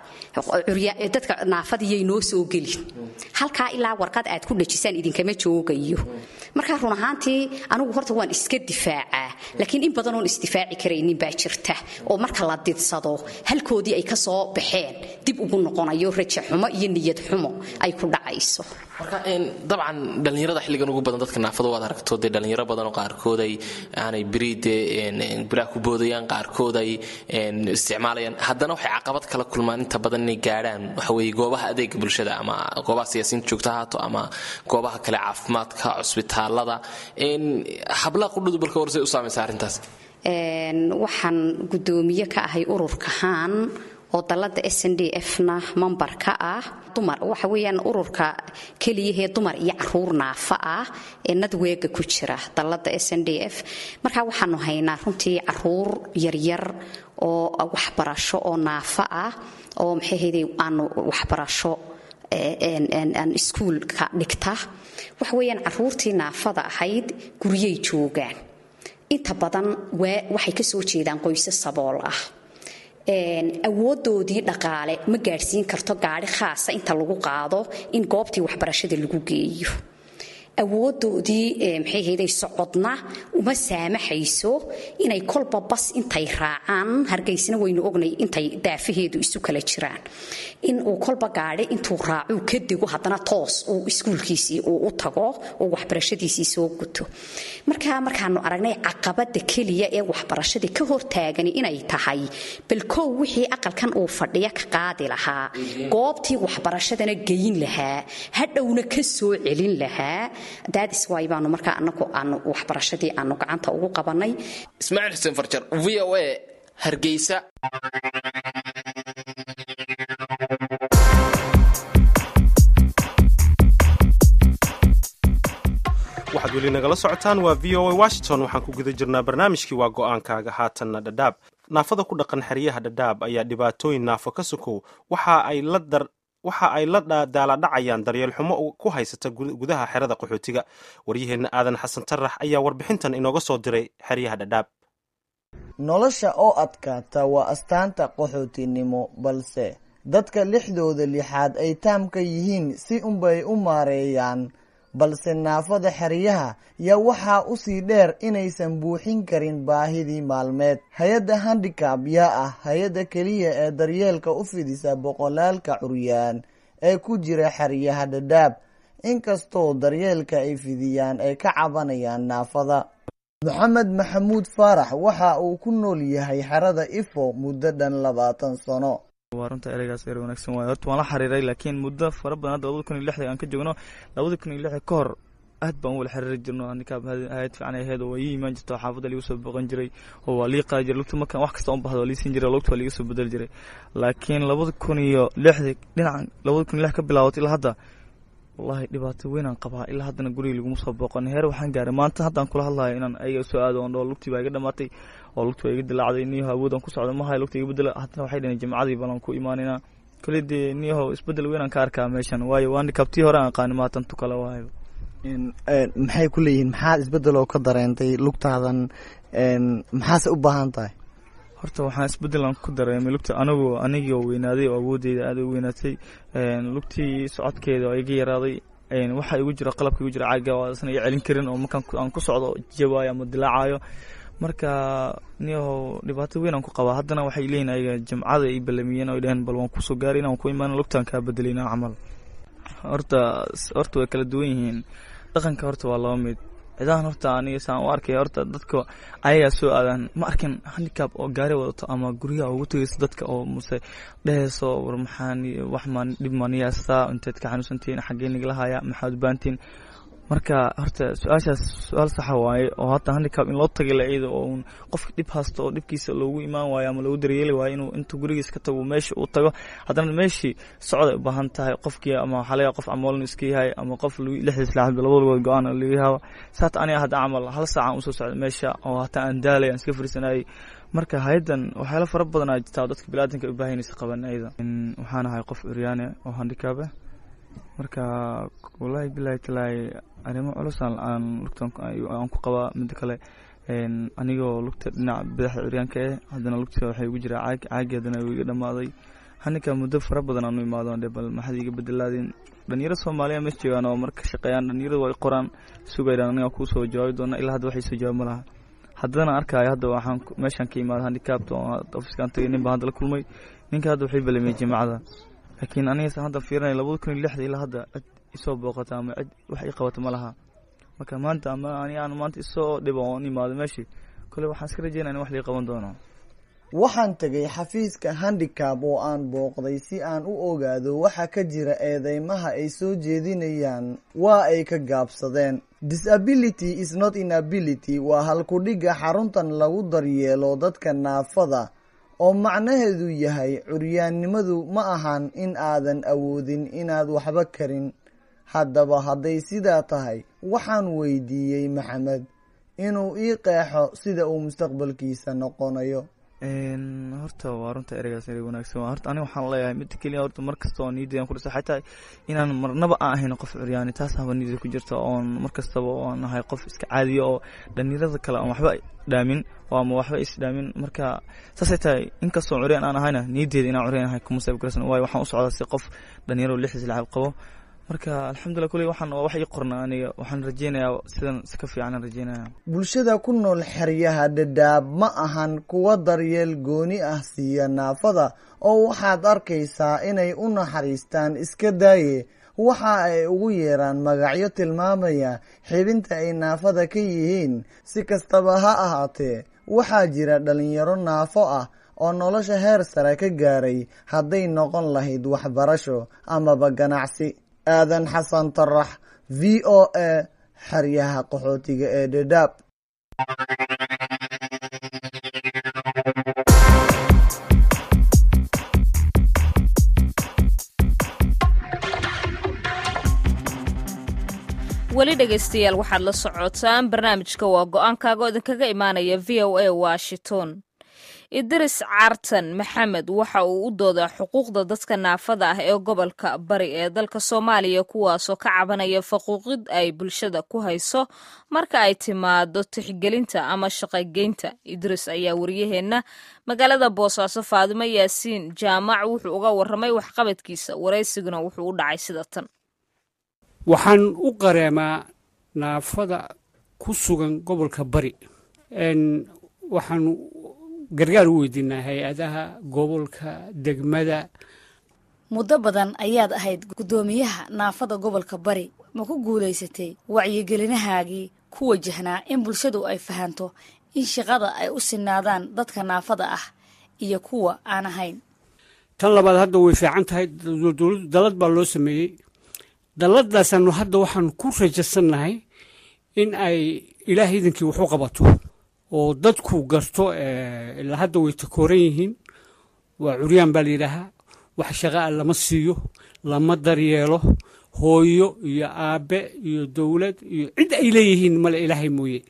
Speaker 10: "Dadka naafadiyay noo soo gelin halkaa, ilaa warqad aad ku dhajisaan idinkama joogayo"? Marka run ahaantii anigu horta waan iska difaacaa, laakiin in badan oon isdifaaci karaynin baa jirta, oo marka la didsado halkoodii ay ka soo baxeen dib ugu noqonayo, rajo xumo iyo niyad xumo ay ku dhacayso.
Speaker 8: Marka dabcan dhallinyarada xilligan ugu badan dadka naafada waad aragto, dee dhallinyaro badan oo qaarkood ay aanay beri dee biraha ku boodayaan, qaarkood ay isticmaalayaan, haddana waxay caqabad kala kulmaan inta badan inay gaadhaan waxa weeye goobaha adeega bulshada, ama goobaha siyaasiyiinta joogta haato ama goobaha kale caafimaadka, cusbitaalada. Hablaha qudhudu balka warsay u saamaysa arrintaas?
Speaker 10: Waxaan guddoomiye ka ahay ururka Haan oo dallada S N D F na member ka ah. Dumar waxa weeyaan ururka keliyahee dumar iyo caruur naafa ah ee networkga ku jira dallada S N D F. Marka waxaanu haynaa runtii caruur yaryar oo waxbarasho oo naafa ah oo maxay hayday aanu waxbarasho aan iskuulka dhigta. Waxa weeyaan caruurtii naafada ahayd guryay joogaan inta badan, waxay ka soo jeedaan qoysas sabool ah, awoodoodii dhaqaale ma gaadhsiin karto gaadhi khaasa inta lagu qaado in goobtii waxbarashada lagu geeyo. Awoodoodii maxay hayday socodna uma saamaxayso inay kolba bas intay raacaan. Hargeysna waynu ognay intay daafaheedu isu kala jiraan, in uu kolba gaadhi intuu raacuu ka dego, haddana toos uu iskuulkiisii uu u tago oo waxbarashadiisii soo guto. Marka markaanu aragnay caqabada keliya ee waxbarashadii ka hortaagani inay tahay bal kow wixii aqalkan uu fadhiya ka qaadi lahaa, goobtii waxbarashadana geyn lahaa, hadhowna ka soo celin lahaa, daadis waay baanu markaa anagu aanu waxbarashadii aanu gacanta ugu qabanay.
Speaker 8: Ismaaciil Xuseen Farjar, V O A, Hargeysa.
Speaker 1: Waxaad weli nagala socotaan waa V O A Washington. Waxaan ku guda jirnaa barnaamijkii Waa Go-aankaaga. Haatanna Dhadhaab. Naafada ku dhaqan xeryaha Dhadhaab ayaa dhibaatooyin naafo ka sokow waxa ay la dar waxa ay la daaladhacayaan daryeel xumo ku haysata gudaha xerada qaxootiga. Waryaheenna Aadan Xasan Tarax ayaa warbixintan inooga soo diray xeryaha Dhadhaab.
Speaker 11: Nolosha oo adkaata waa astaanta qaxootinimo, balse dadka lixdooda lixaad ay taamka yihiin si unbay u maareeyaan, balse naafada xeryaha yaa waxaa usii dheer inaysan buuxin karin baahidii maalmeed. Hay-adda Handicap yaa ah hay-adda keliya ee daryeelka u fidisa boqolaalka curyaan ee ku jira xeryaha Dhadhaab, inkastoo daryeelka ay fidiyaan ay ka cabanayaan naafada. Maxamed Maxamuud Faarax waxa uu ku nool yahay xerada Ifo muddo dhan labaatan sano.
Speaker 12: Waa runta, ereygaas erey wanaagsan waayo. Horta waan la xiriiray, laakiin muddo fara badan hadda labada kun iyo lixda aan ka joogno. Labada kun iyo lixda ka hor aad baan u wala xiriiri jirno. Handicap hayad fiican ay ahayd oo waa ii imaan jirta, xaafadda liigu soo booqan jiray oo waa lii qaadi jiray lugta. Markaan wax kasta un bahdo waa lii siin jiray, lugta waa liiga soo bedeli jiray. Laakiin labada kun iyo lixda dhinacan, labada kun iyo lix ka bilaabatay ilaa hadda, wallahi dhibaato weyn aan qabaa. Ilaa haddana guriga laguma soo booqan. Heer waxaan gaaray maanta haddaan kula hadlayo inaan ayaga soo aado oon dhaho lugtii baa iga dhamaatay oo lugtii baa iga dilaacday, niyaho awood aan ku socdo ma hayo, lugta iga bedela. Haddana waxay dhaheen jimcadii balan ku imaanaynaa. Kale dee niyaho isbedel weyn aan ka arkaa meeshan, waayo waa handicaptii hore aan aqaani maatan tu kale waayo.
Speaker 11: Maxay ku leeyihiin? Maxaa isbedel oo ka dareentay lugtaadan? Maxaase u baahan tahay?
Speaker 12: Horta waxaan isbedel aan ku dareemay lugta, anigu anigii oo weynaaday oo awoodeyda aad u weynaatay, lugtii socodkeeda oo iga yaraaday, waxa igu jira qalabka igu jira caaga oo isna iga celin karin oo markaan aan ku socdo jawaayo ama dilaacayo. Marka niyahow dhibaato weyn aan ku qabaa. Haddana waxay leeyihin ayaga jimcada ay balamiyeen oo dhaheen bal waan kusoo gaarayna, waan ku imaana, lugtaan kaa bedelayna camal. Horta horta way kala duwan yihiin dhaqanka. Horta waa laba mid cidahan. Horta aniga saan u arkay, horta dadka ayagaa soo aadaan. Ma arkin handicap oo gaari wadato ama guryaha ugu tegayso dadka oo mase dhehayso war maxaan wax maan dhib maaniyaastaa, inteed ka xanuunsantihiin, xaggee nigala haya, maxaad u baahantihiin? Marka horta su-aashaas su-aal saxa waaye oo hata handicap in loo tagay la iyada oo uun qofka dhib haysto oo dhibkiisa loogu imaan waayo ama loogu daryeeli waayo inuu intuu gurigiisa ka tago meesha uu tago, haddana meeshii socday u baahan tahay qofkii, ama waxaa laga qof camoolin iska yahay ama qof lixdiis laaxad labada lugood go-aan laga yaabo. Saata aniga hadda camal hal saacan usoo socda meesha oo hataa aan daalay aan iska fariisanayay. Marka hay-addan waxyaalo fara badan aa jirtaa dadka biniaadanka u baahan inaysa qaban ayada. Waxaan ahay qof curyaane oo handicap ah. Marka wallahi bilahi talaahi arrimo culus aan aan lugtan aan ku qabaa. Midda kale, anigoo lugta dhinaca badaxda curyaanka eh, haddana lugta waxay ugu jiraa caag. Caagi haddana wuu iga dhamaaday. Handicap muddo fara badan aan u imaado dhe bal maxaad iga bedelaadeen. Dhalinyaro Soomaaliya meesha joogaan oo marka shaqeeyaan, dhalinyaradu way qoraan sugayaan, aniga kuu soo jawaabi doona. Ilaa hadda waxay soo jawaab ma laha. Haddana arkaayo hadda waxaan meeshaan ka imaada handicapta oo ofiskaan tagay, nin baan hadda la kulmay. Ninka hadda waxay balamiyey jimcada, laakiin aniga hadda fiirinaya labada kun iyo lixda ilaa hadda cid isoo booqata ama cid wax ii qabata ma laha. Marka maanta ama ani aan maanta isoo dhibo oon imaado meeshii kole, waxaan iska rajeynaya in wax lii qaban doono.
Speaker 11: Waxaan tegay xafiiska Handicap oo aan booqday si aan u ogaado waxa ka jira eedeymaha ay soo jeedinayaan. Waa ay ka gaabsadeen. "Disability is not inability" waa halkudhigga xaruntan lagu daryeelo dadka naafada, oo macnaheedu yahay curyaannimadu ma ahan in aadan awoodin inaad waxba karin. Haddaba hadday sidaa tahay, waxaan weydiiyey Maxamed inuu ii qeexo sida uu mustaqbalkiisa noqonayo.
Speaker 12: Horta waa runta, ereygaas erey wanaagsan waa. Horta aniga waxaan leeyahay mid keliya. Horta mar kasta oo niyadeydan ku dhisa xataa inaan marnaba aan ahayn qof curyaani, taas haba niyadda ku jirta oon mar kastaba oon ahay qof iska caadiya oo dhalinyarada kale aan waxba dhaamin oo ama waxba is dhaamin. Marka saasay tahay, inkastoo curyaan aan ahayna, niyaddeeda inaan curyaan ahay kuma seeb garsan, waayo waxaan u socdaa si qof dhalinyaro lixdiis lacab qabo. Marka alxamdulillah, kuley waxaan waa wax ii qorna aniga, waxaan rajeynayaa sidan si ka fiican aan rajeynaya.
Speaker 11: Bulshada ku nool xeryaha Dhadhaab ma ahan kuwa daryeel gooni ah siiya naafada, oo waxaad arkaysaa inay u naxariistaan iska daaye, waxa ay ugu yeeraan magacyo tilmaamaya xibinta ay naafada ka yihiin. Si kastaba ha ahaatee, waxaa jira dhalinyaro naafo ah oo nolosha heer sare ka gaaray, hadday noqon lahayd waxbarasho amaba ganacsi. Aadan Xasan Tarax, V O A, xeryaha qaxootiga ee Dhadhaab.
Speaker 7: Weli dhegaystayaal, waxaad la socotaan barnaamijka Waa Go-aankaaga oo idinkaga imaanaya V O A Washington. Idris Cartan Maxamed waxa uu u doodaa xuquuqda dadka naafada ah ee gobolka Bari ee dalka Soomaaliya, kuwaasoo ka cabanaya faquuqid ay bulshada ku hayso marka ay timaado tixgelinta ama shaqogeynta. Idris ayaa wariyaheenna magaalada Boosaaso, Faadimo Yaasiin Jaamac, wuxuu uga waramay waxqabadkiisa. Waraysiguna wuxuu u dhacay sida tan.
Speaker 13: Waxaan u qareemaa naafada ku sugan gobolka Bari. Waxaan gargaar u weydiinaa hay-adaha gobolka, degmada.
Speaker 3: Muddo badan ayaad ahayd guddoomiyaha naafada gobolka Bari. Ma ku guulaysatay wacyigelinahaagii ku wajahnaa in bulshadu ay fahanto in shaqada ay u sinaadaan dadka naafada ah iyo kuwa aan ahayn?
Speaker 13: Tan labaad, hadda way fiican tahay. Dowladdu dalad baa loo sameeyey. Dalladaasaanu hadda waxaanu ku rajasannahay in ay Ilaah idinkii wax u qabato oo dadku garto. Ilaa hadda way takooran yihiin, waa curyaan baa la yidhaahaa, wax shaqa a lama siiyo, lama daryeelo. Hooyo iyo aabbe iyo dowlad iyo cid ay leeyihiin male, Ilaahay mooye.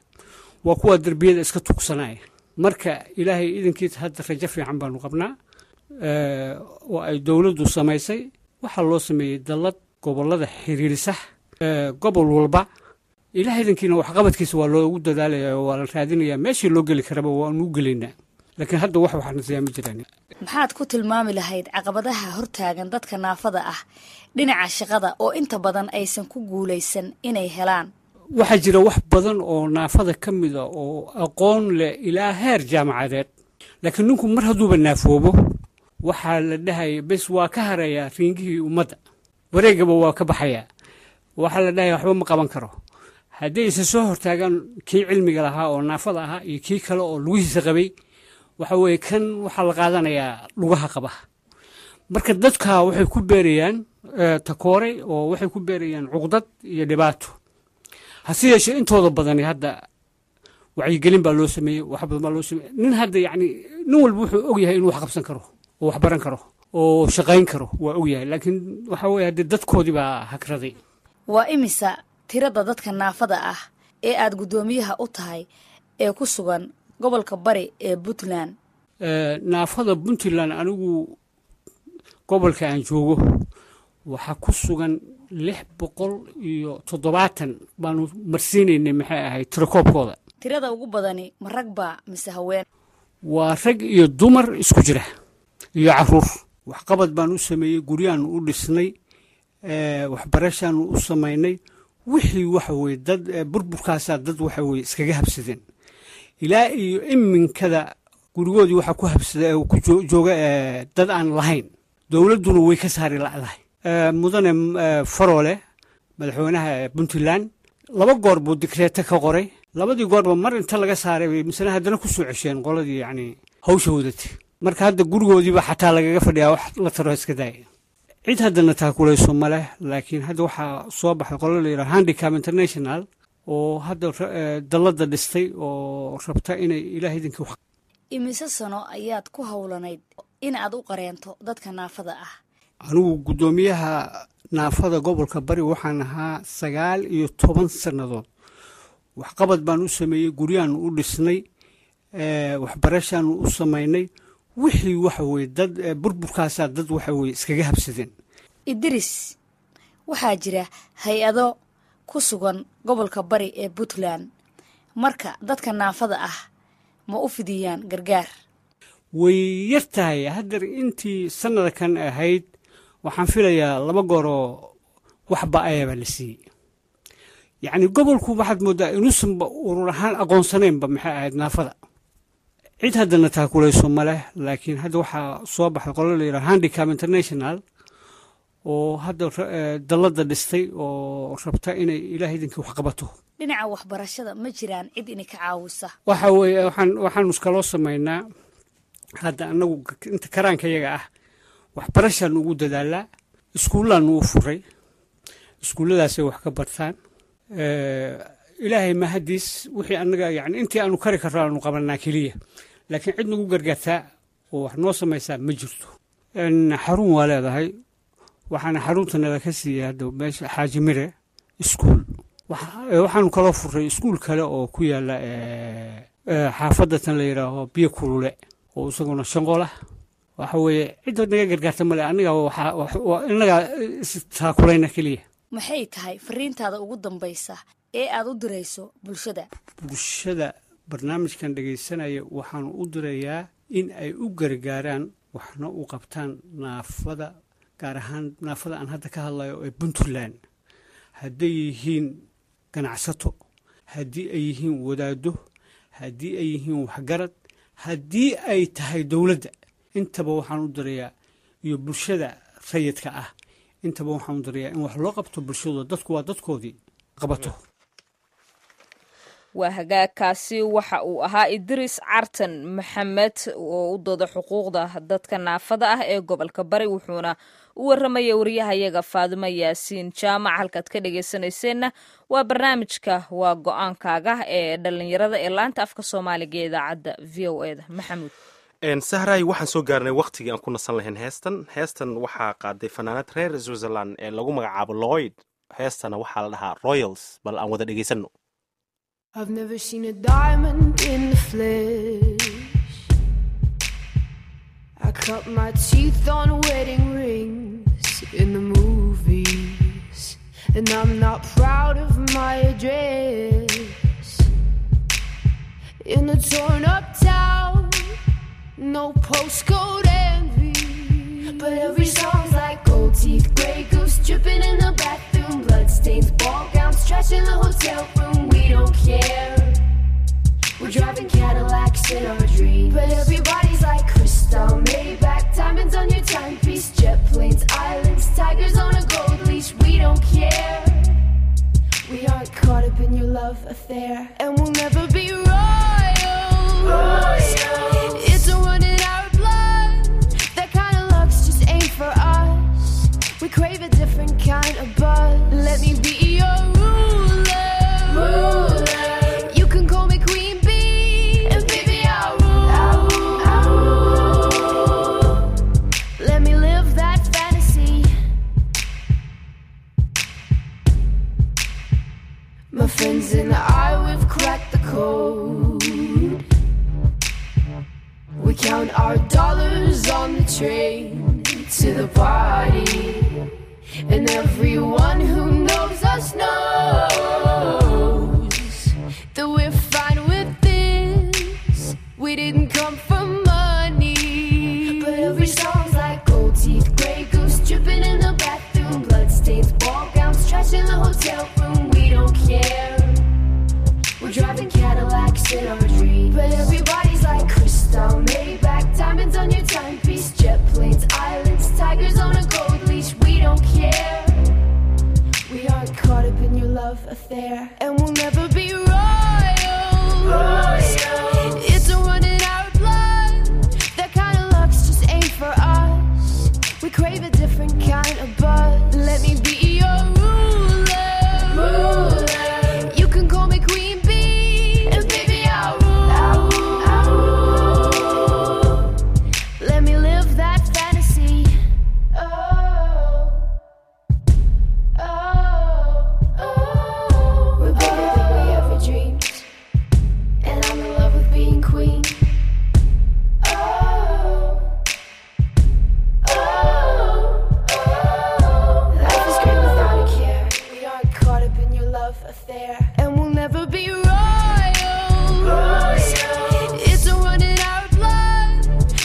Speaker 13: Waa kuwa derbiyada iska tugsanaya. Marka Ilaahay idinkiis hadda rajo fiican baanu qabnaa oo ay dowladdu samaysay. Waxaa loo sameeyey dallad gobollada xiriirisa gobol walba. Ilaah idinkiina waxqabadkiisa waa loogu dadaalaya oo waa la raadinayaa. Meeshii loo geli karaba waanu u gelaynaa, laakiin hadda wax waxna siyaa ma jiraan.
Speaker 3: Maxaad ku tilmaami lahayd caqabadaha hortaagan dadka naafada ah dhinaca shaqada oo inta badan aysan ku guulaysan inay helaan?
Speaker 13: Waxaa jira wax badan oo naafada ka mida oo aqoon leh ilaa heer jaamacadeed, laakiin ninku mar hadduuba naafoobo, waxaa la dhahaya bes, waa ka harayaa riingihii ummadda, wareegaba waa ka baxayaa. Waxaa la dhahaya waxba ma qaban karo. Hadday isa soo hortaagaan kii cilmiga lahaa oo naafada ahaa iyo kii kale oo lugihiisa qabay, waxa weeye kan waxaa la qaadanayaa lugaha qaba. Marka dadka waxay ku beerayaan takooray oo waxay ku beerayaan cuqdad iyo dhibaato. Hase yeeshee, intooda badani hadda wacyigelin baa loo sameeyey, wax badan baa loo sameeyey. Nin hadda yacni nin walba wuxuu og yahay inuu wax qabsan karo oo wax baran karo oo shaqayn karo, waa og yahay, laakiin waxa weeye haddee dadkoodii baa hagraday.
Speaker 3: Waa imisa tirada dadka naafada ah ee aad guddoomiyaha u tahay ee ku sugan gobolka Bari ee Puntland?
Speaker 13: Naafada Puntland, anigu gobolka aan joogo waxaa ku sugan lix boqol iyo toddobaatan baanu marsiinaynay, maxay ahayd, tirakoobkooda.
Speaker 3: Tirada ugu badani ma rag baa mise haween?
Speaker 13: Waa rag iyo dumar isku jira iyo caruur. Waxqabad baan u sameeyey, guryaanu u dhisnay, waxbarashaanu u samaynay. Wixii waxa weye dad burburkaasaa dad waxa weye iskaga habsadeen. Ilaa iyo iminkada gurigoodii waxaa ku habsada ku jooga dad aan lahayn, dowladduna way ka saari la'dahay. Mudane Faroole, madaxweynaha Puntland, laba goor buu dikreeto ka qoray. Labadii goorba mar inta laga saaray bay misena haddana ku soo cesheen qoladii yacni hawsha wadatay. Marka hadda gurigoodiiba xataa lagaga fadhiyaa, wax la taro iska daaya. Cid haddana taakulayso ma leh, laakiin hadda waxaa soo baxay qolo la yidhaha Handicap International oo hadda dalladda dhistay oo rabta inay Ilaah idinka wax.
Speaker 3: Imise sano ayaad ku howlanayd in aad u qareento dadka naafada ah?
Speaker 13: Anigu guddoomiyaha naafada gobolka Bari waxaan ahaa sagaal iyo toban sannadood. Waxqabad baan u sameeyey, guryaanu u dhisnay, waxbarashaanu u samaynay. Wixii waxa weye dad burburkaasaa dad waxa weye iskaga habsadeen.
Speaker 3: Idris, waxaa jira hay-ado ku sugan gobolka Bari ee Puntland. Marka dadka naafada ah ma u fidiyaan gargaar?
Speaker 13: Way yar tahay. Haddeer intii sannada kan ahayd waxaan filayaa laba gooroo Wax ba-aya baa la siiyey. Yacni gobolku waxaad moodaa inuusanba urur ahaan aqoonsanaynba maxay ahayd naafada. Cid haddana taakulayso ma leh, laakiin hadda waxaa soo baxday qolo la yidhaha Handicap International oo hadda dalladda dhistay oo rabta inay Ilaah idinkii wax qabato.
Speaker 3: Dhinaca waxbarashada ma jiraan cid inay ka caawisa?
Speaker 13: Waxa weeye, waxaan waxaanu iskaloo samaynaa hadda annagu inta karaanka yaga ah waxbarashaanu ugu dadaalaa. Iskuullaanu u furay, iskuulladaasay wax ka bartaan. Ilaahay mahadiis, wixii annaga yani intii aanu kari karro aanu qabanaa keliya, laakiin cid nagu gargaartaa oo wax noo samaysaa ma jirto. Xarun waa leedahay, waxaana xarunta nala ka siiyey hadda meesha Xaaji Mire iskuul. Waxaanu kaloo furay iskuul kale oo ku yaala xaafadda tan la yidhaaho Biyo Kulule oo isaguna shanqol ah. Waxa weeye, cidda naga gargaarta male, aniga inagaa istaakulayna keliya.
Speaker 3: Maxay tahay fariintaada ugu dambaysa ee aad u dirayso bulshada?
Speaker 13: Bulshada barnaamijkan dhegaysanaya waxaanu u dirayaa in ay u gargaaraan waxna u qabtaan naafada, gaar ahaan naafada aan hadda ka hadlayo ee Puntland, hadday yihiin ganacsato, haddii ay yihiin wadaado, haddii ay yihiin waxgarad, haddii ay tahay dowladda, intaba waxaan u dirayaa, iyo bulshada rayidka ah intaba waxaan u dirayaa in wax loo qabto bulshadooda. Dadku waa dadkoodii qabato.
Speaker 7: Waa hagaagkaasi waxa uu ahaa Idriis Cartan Maxamed oo u dooda xuquuqda dadka naafada ah ee gobolka Bari, wuxuuna u warramaya wariyahayaga Faadimo Yaasiin Jaamac. Halkaad ka dhegaysanayseena waa barnaamijka Waa Go-aankaaga ee dhallinyarada ee laanta afka Soomaaliga ee idaacadda V O E da. Maxamuud.
Speaker 1: Sahray, waxaan soo gaarnay waqtigii aan ku nasan lahayn heestan. Heestan waxaa qaaday fanaanad reer Switzerland ee lagu magacaabo Lloyd. Heestana waxaa la dhahaa Royals. Bal aan wada dhegaysano.
Speaker 14: I've never seen a diamond in the flesh. I cut my teeth on wedding rings in the movies, and I'm not proud of my address. In a torn up town, no postcode envy. But every song's like gold teeth, grey goose dripping in the bathroom, bloodstains, ball gowns, trash in the hotel room. We don't care. We're driving Cadillacs in our dreams. But everybody's like crystal, Maybach, diamonds on your timepiece, jet planes, islands, tigers on a gold leash. We don't care. We aren't caught up in your love affair, and we'll never be royals. Royals. It's a run in our blood. That kind of luck's just ain't for us. We crave a different kind of buzz. Let me be your ruler. Ruler. You can call me Queen Bee, and baby I'll rule. I'll rule. I'll rule. Let me live that fantasy. My friends and I, we've cracked the code. We count our dollars on the train to the party, and everyone who knows us knows that we're fine with this. We didn't come for money. But every song's like gold teeth, grey goose dripping in the bathroom, bloodstains, ball gowns, trash in the hotel room. We don't care. We're driving Cadillacs in our dreams. But everybody's like crystal, Maybach, diamonds on your timepiece, jet planes, islands, tigers on a gold leash. We don't care. We aren't caught up in your love affair, and we'll never be royals. Royals. It's a run in our blood. That kind of luck's just ain't for us. We crave a different kind of buzz. Let me be your ruler. Ruler. You can call me Queen Bee, and baby I'll rule. I'll rule. I'll rule. Let me live that fantasy. Oh, oh, oh. We're bigger than we ever dreamed, and I'm in love with being queen. Oh, oh, oh. Life is great without a care. We aren't caught up in your love affair, and we'll never be royals. Royals. It's a run in our blood.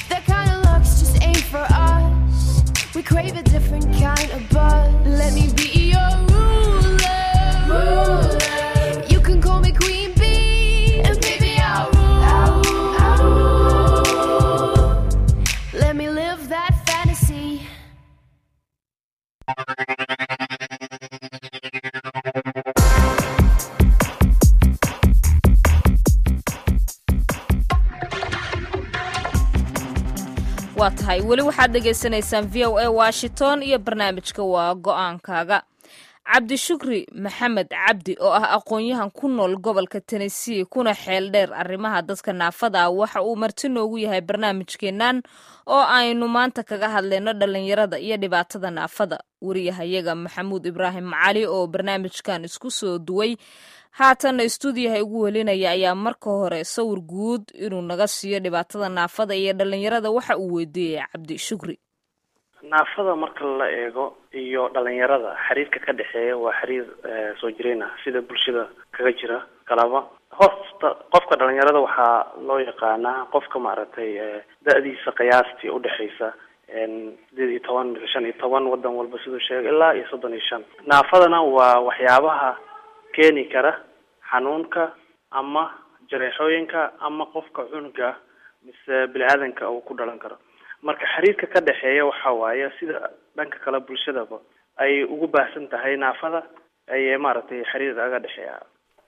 Speaker 14: That kind of luck's just ain't for us. We crave a different kind of buzz. Let me be your
Speaker 7: Waa tahay, weli waxaad dhegaysanaysaan V O A Washington iyo barnaamijka Waa Go-aankaaga. Cabdishukri Maxamed Cabdi oo ah aqoon-yahan ku nool gobolka Tennessee kuna xeel dheer arrimaha dadka naafada ah, waxa uu marti noogu yahay barnaamijkeennan oo aynu maanta kaga hadlayno dhallinyarada iyo dhibaatada naafada. Wariyahayaga Maxamuud Ibraahim Cali oo barnaamijkan isku soo duway, haatanna istuudiyaha ugu welinaya, ayaa marka hore sawir guud inuu naga siiyo dhibaatada naafada iyo dhallinyarada waxa uu weydiiyey Cabdishukri.
Speaker 15: Naafada marka la eego iyo dhalinyarada, xiriirka ka dhexeeya waa xiriir soo jireen ah, sida bulshada kaga jira kalaba. Hoosta qofka dhalinyarada waxaa loo yaqaanaa qofka maaragtay da-diisa qiyaastii udhexeysa sideed iyo toban mise shan iyo toban, wadan walba siduu sheegay, ilaa iyo soddon iyo shan. Naafadana waa waxyaabaha keeni kara xanuunka ama jareexooyinka ama qofka cunuga mise bini-aadanka uu ku dhalan karo. Marka xiriirka ka dhexeeya waxa waaye sida dhanka kale bulshadaba ay ugu baahsan tahay naafada ayay maaragtay xiriir aga dhexeeya.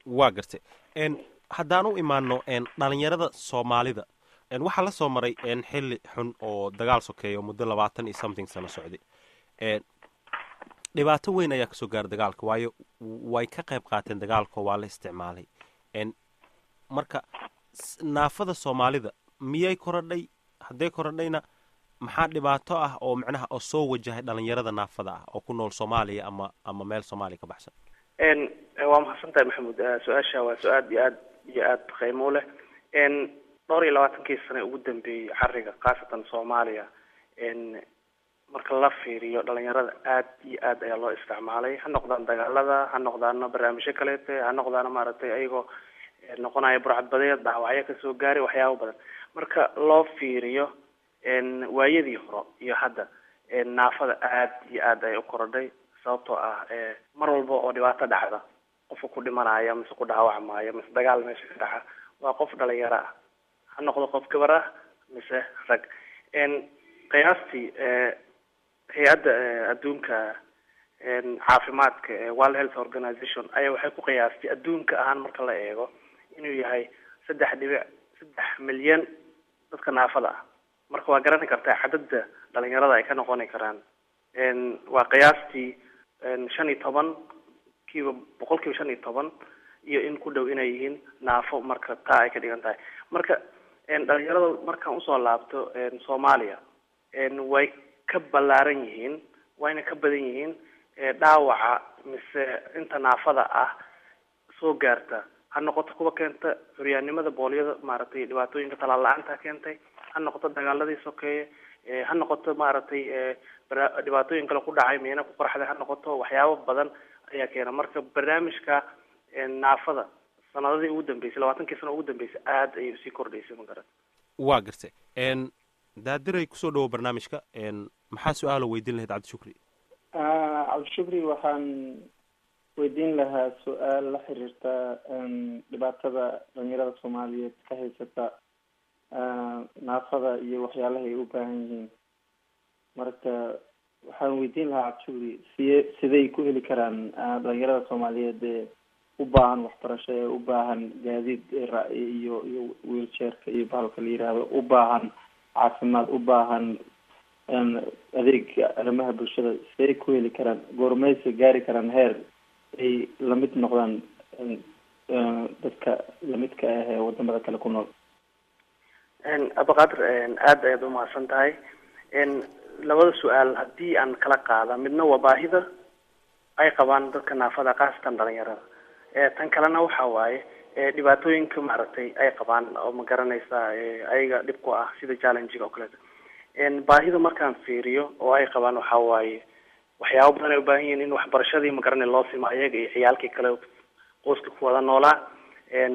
Speaker 1: Waa gartay. n haddaan u imaano dhalinyarada Soomaalida, waxaa la soo maray xilli xun oo dagaal sokeeya oo muddo labaatan iyo something sano socday. Dhibaato weyn ayaa kasoo gaara dagaalka, waayo way ka qayb qaateen dagaalka, waa la isticmaalay. Marka naafada Soomaalida miyay korodhay? Hadday korodhayna, maxaa dhibaato ah oo macnaha oo soo wajahay dhalinyarada naafada ah oo ku nool Soomaaliya ama ama meel Soomaaliya ka baxsan?
Speaker 15: n waa mahadsan tahay, Maxamuud. Su-aasha waa su-aad iyo aad iyo aad qiimo u leh. n dhowr iyo labaatankii sane ugu dambeeyey xariga, khaasatan Soomaaliya, n marka la fiiriyo dhalinyarada aad iyo aad ayaa loo isticmaalay, ha noqdaan dagaalada, ha noqdaana barnaamijyo kaleete, ha noqdaana maaragtay ayagoo noqonaya burcadbadeed, dhaawacyo kasoo gaaray, waxyaabo badan. Marka loo fiiriyo waayadii hore iyo hadda, naafada aad iyo aad ay u korodhay, sababtoo ah mar walba oo dhibaato dhacda, qofka ku dhimanaya mise ku dhaawacmaayo mise dagaal meesha ka dhaca waa qof dhalinyaro ah, ha noqdo qof gabar ah mise rag. Qiyaastii hay-adda adduunka caafimaadka ee World Health Organization ayaa waxay ku qiyaastay adduunka ahaan marka la eego inuu yahay saddex dhibic saddex milyan dadka naafada ah. Marka waa garan kartaa cadadda dhalinyarada ay ka noqoni karaan. Waa qiyaastii shan iyo toban kiiba, boqol kiiba shan iyo toban iyo in ku dhow inay yihiin naafo. Marka taa ay ka dhigan tahay, marka dhalinyarada markaan usoo laabto Soomaaliya, way ka ballaaran yihiin, wayna ka badan yihiin dhaawaca mise inta naafada ah soo gaarta, ha noqoto kuwa keenta curyaannimada boolyada, maaragtay dhibaatooyinka talaal la-aanta keentay, ha noqoto dagaaladii sokeeye, ha noqoto maaragtay dhibaatooyin kale ku dhacay, miina ku qarxday, ha noqoto waxyaabo badan ayaa keena. Marka barnaamijka naafada sanadadii ugu dambeysay, labaatankii sano ugu dambeysay, aad ayay usii kordhaysay, ma garan.
Speaker 1: Waa gartay. Daadiray, kusoo dhawo barnaamijka. Maxaa su-aalo weydiin lahayd Cabdishukri?
Speaker 16: Cabdishukri waxaan weydiin lahaa su-aal la xiriirta dhibaatada dhalinyarada Soomaaliyeed ka haysata naafada iyo waxyaalaha ay u baahan yihiin. Marka waxaan weydiin lahaa Cabdishukri, siye siday ku heli karaan dhalinyarada Soomaaliyeed ee u baahan waxbarasho, ee u baahan gaadiid iyo iyo wheelchairka iyo bahalka la yiraahdo, u baahan caafimaad, u baahan adeega arrimaha bulshada, siday ku heli karaan? Goormayse gaari karaan heer ay lamid noqdaan dadka lamidka ah ee wadamada kale ku nool?
Speaker 15: Abaqaadir, aad ayaad umahadsan tahay. Labada su-aal haddii aan kala qaada, midna waa baahida ay qabaan dadka naafada, khaasatan dhalinyarada, tan kalena waxa waaye dhibaatooyinka maaragtay ay qabaan oo ma garanaysaa ayaga dhib ku ah, sida challenge-ga oo kaleeto. Baahida markaan fiiriyo oo ay qabaan, waxa waaye waxyaabo badan ay ubaahan yihiin: in waxbarashadii magaranay loo simo ayaga iyo ciyaalkii kale qoyska ku wada noolaa.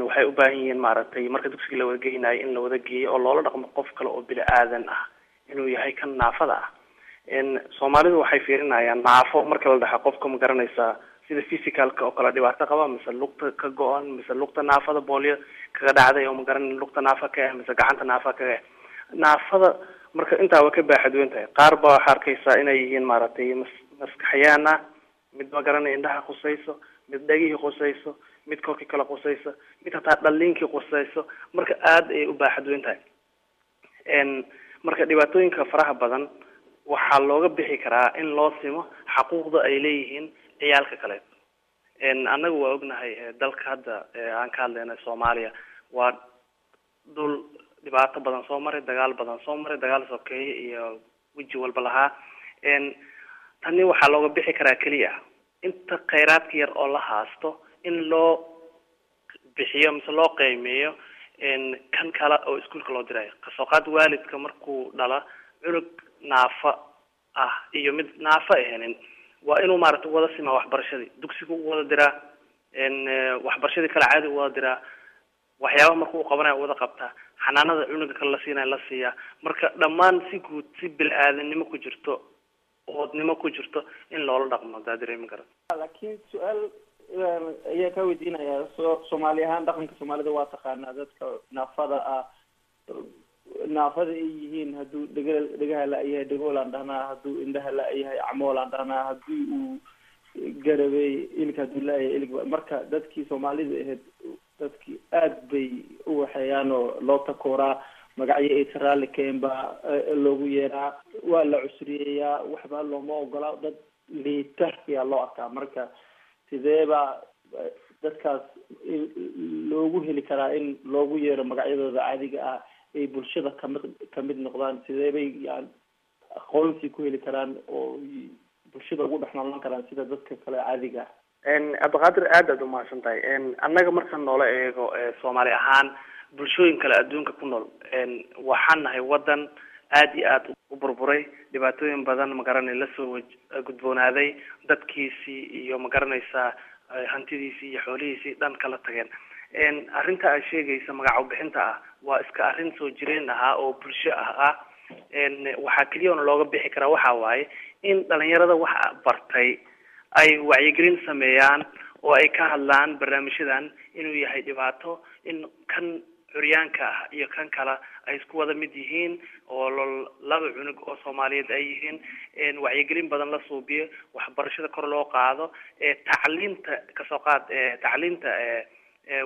Speaker 15: Waxay u baahan yihiin maaragtay marka dugsiga la wada geynayo in la wada geeyo oo loola dhaqmo qof kale oo bini aadan ah inuu yahay kan naafada ah. Soomaalidu waxay fiirinayaan naafo marka la dhaxa qofka ma garanaysaa sida physicalka oo kale dhibaato qaba, mise lugta ka go-an, mise lugta naafada boolyo kaga dhacday oo magaran lugta naafa ka ah, mise gacanta naafa kaga ah. Naafada marka intaa waa ka baaxad weyn tahay. Qaar baa waxaa arkaysaa inay yihiin maaragtay mas maskaxyaan ah, mid ma garanay indhaha khusayso, mid dhegihii khusayso, mid korkii kale khusayso, mid hataa dhaliinkii khusayso. Marka aada ayay u baaxad weyn tahay. Marka dhibaatooyinka faraha badan waxaa looga bixi karaa in loo simo xaquuqda ay leeyihiin ciyaalka kaleeto. Annagu waa ognahay dalka hadda aan ka hadlayna Soomaaliya waa dhul dhibaato badan soo maray, dagaal badan soo maray, dagaal sokeeye iyo weji walba lahaa. Tani waxaa looga bixi karaa keliya inta kheyraadka yar oo la haasto in loo bixiyo mise loo qiimeeyo kan kale oo iskuulka loo dirayo. Kasoo qaad waalidka markuu dhala cunug naafa ah iyo mid naafa ahanin, waa inuu maaragtay wada simaa waxbarashadii, dugsiga u wada diraa, waxbarashadii kale caadi u wada diraa, waxyaabaha marka uu qabanayo wada qabtaa, xanaanada cunuga kale la siinayo la siiyaa. Marka dhammaan si guud, si bil-aadanimo ku jirto, oodnimo ku jirto in loola dhaqmo hadaa dareemi kara.
Speaker 16: Laakiin su-aal ayaa kaa weydiinayaa. So soomaali ahaan dhaqanka soomaalida waa taqaanaa dadka naafada ah, naafada ay yihiin hadduu dhega dhegaha la-yahay dhegoolaan dhahnaa, hadduu indhaha la-yahay camoolaan dhahnaa, haddii uu garabey ilig hadduu la-yahay ilig. Marka dadkii soomaalida ahayd dadkii aad bay u waxeeyaan oo loo takooraa, magacyo aysan raalli keen baa loogu yeeraa, waa la cusriyeeyaa, waxba looma ogola, dad liita ayaa loo arkaa. Marka sidee baa dadkaas loogu heli karaa in loogu yeero magacyadooda caadiga ah, ay bulshada kamid kamid noqdaan? Sidee bay yani aqoonsi ku heli karaan oo bulshada ugu dhex noolaan karaan sida dadka kale caadiga ah?
Speaker 15: Cabdiqaadir, aad aad umahadsan tahay. Annaga marka noola eego soomaali ahaan bulshooyin kale adduunka ku nool, waxaan nahay wadan aad iyo aad u burburay, dhibaatooyin badan magaranay lasoo gudboonaaday, dadkiisii iyo magaranaysaa hantidiisii iyo xoolihiisii dhan kala tageen. Arrinta aad sheegaysa magac bixinta ah waa iska arrin soo jireen ahaa oo bulsho ah ah waxaa keliya looga bixi karaa waxaa waaye in dhalinyarada wax bartay ay wacyigelin sameeyaan oo ay ka hadlaan barnaamijyadan inuu yahay dhibaato, in kan curyaanka ah iyo kan kale ay isku wada mid yihiin oo laba cunug oo Soomaaliyeed ay yihiin. Wacyigelin badan la suubiyo, waxbarashada kor loo qaado, tacliinta kasoo qaad, tacliinta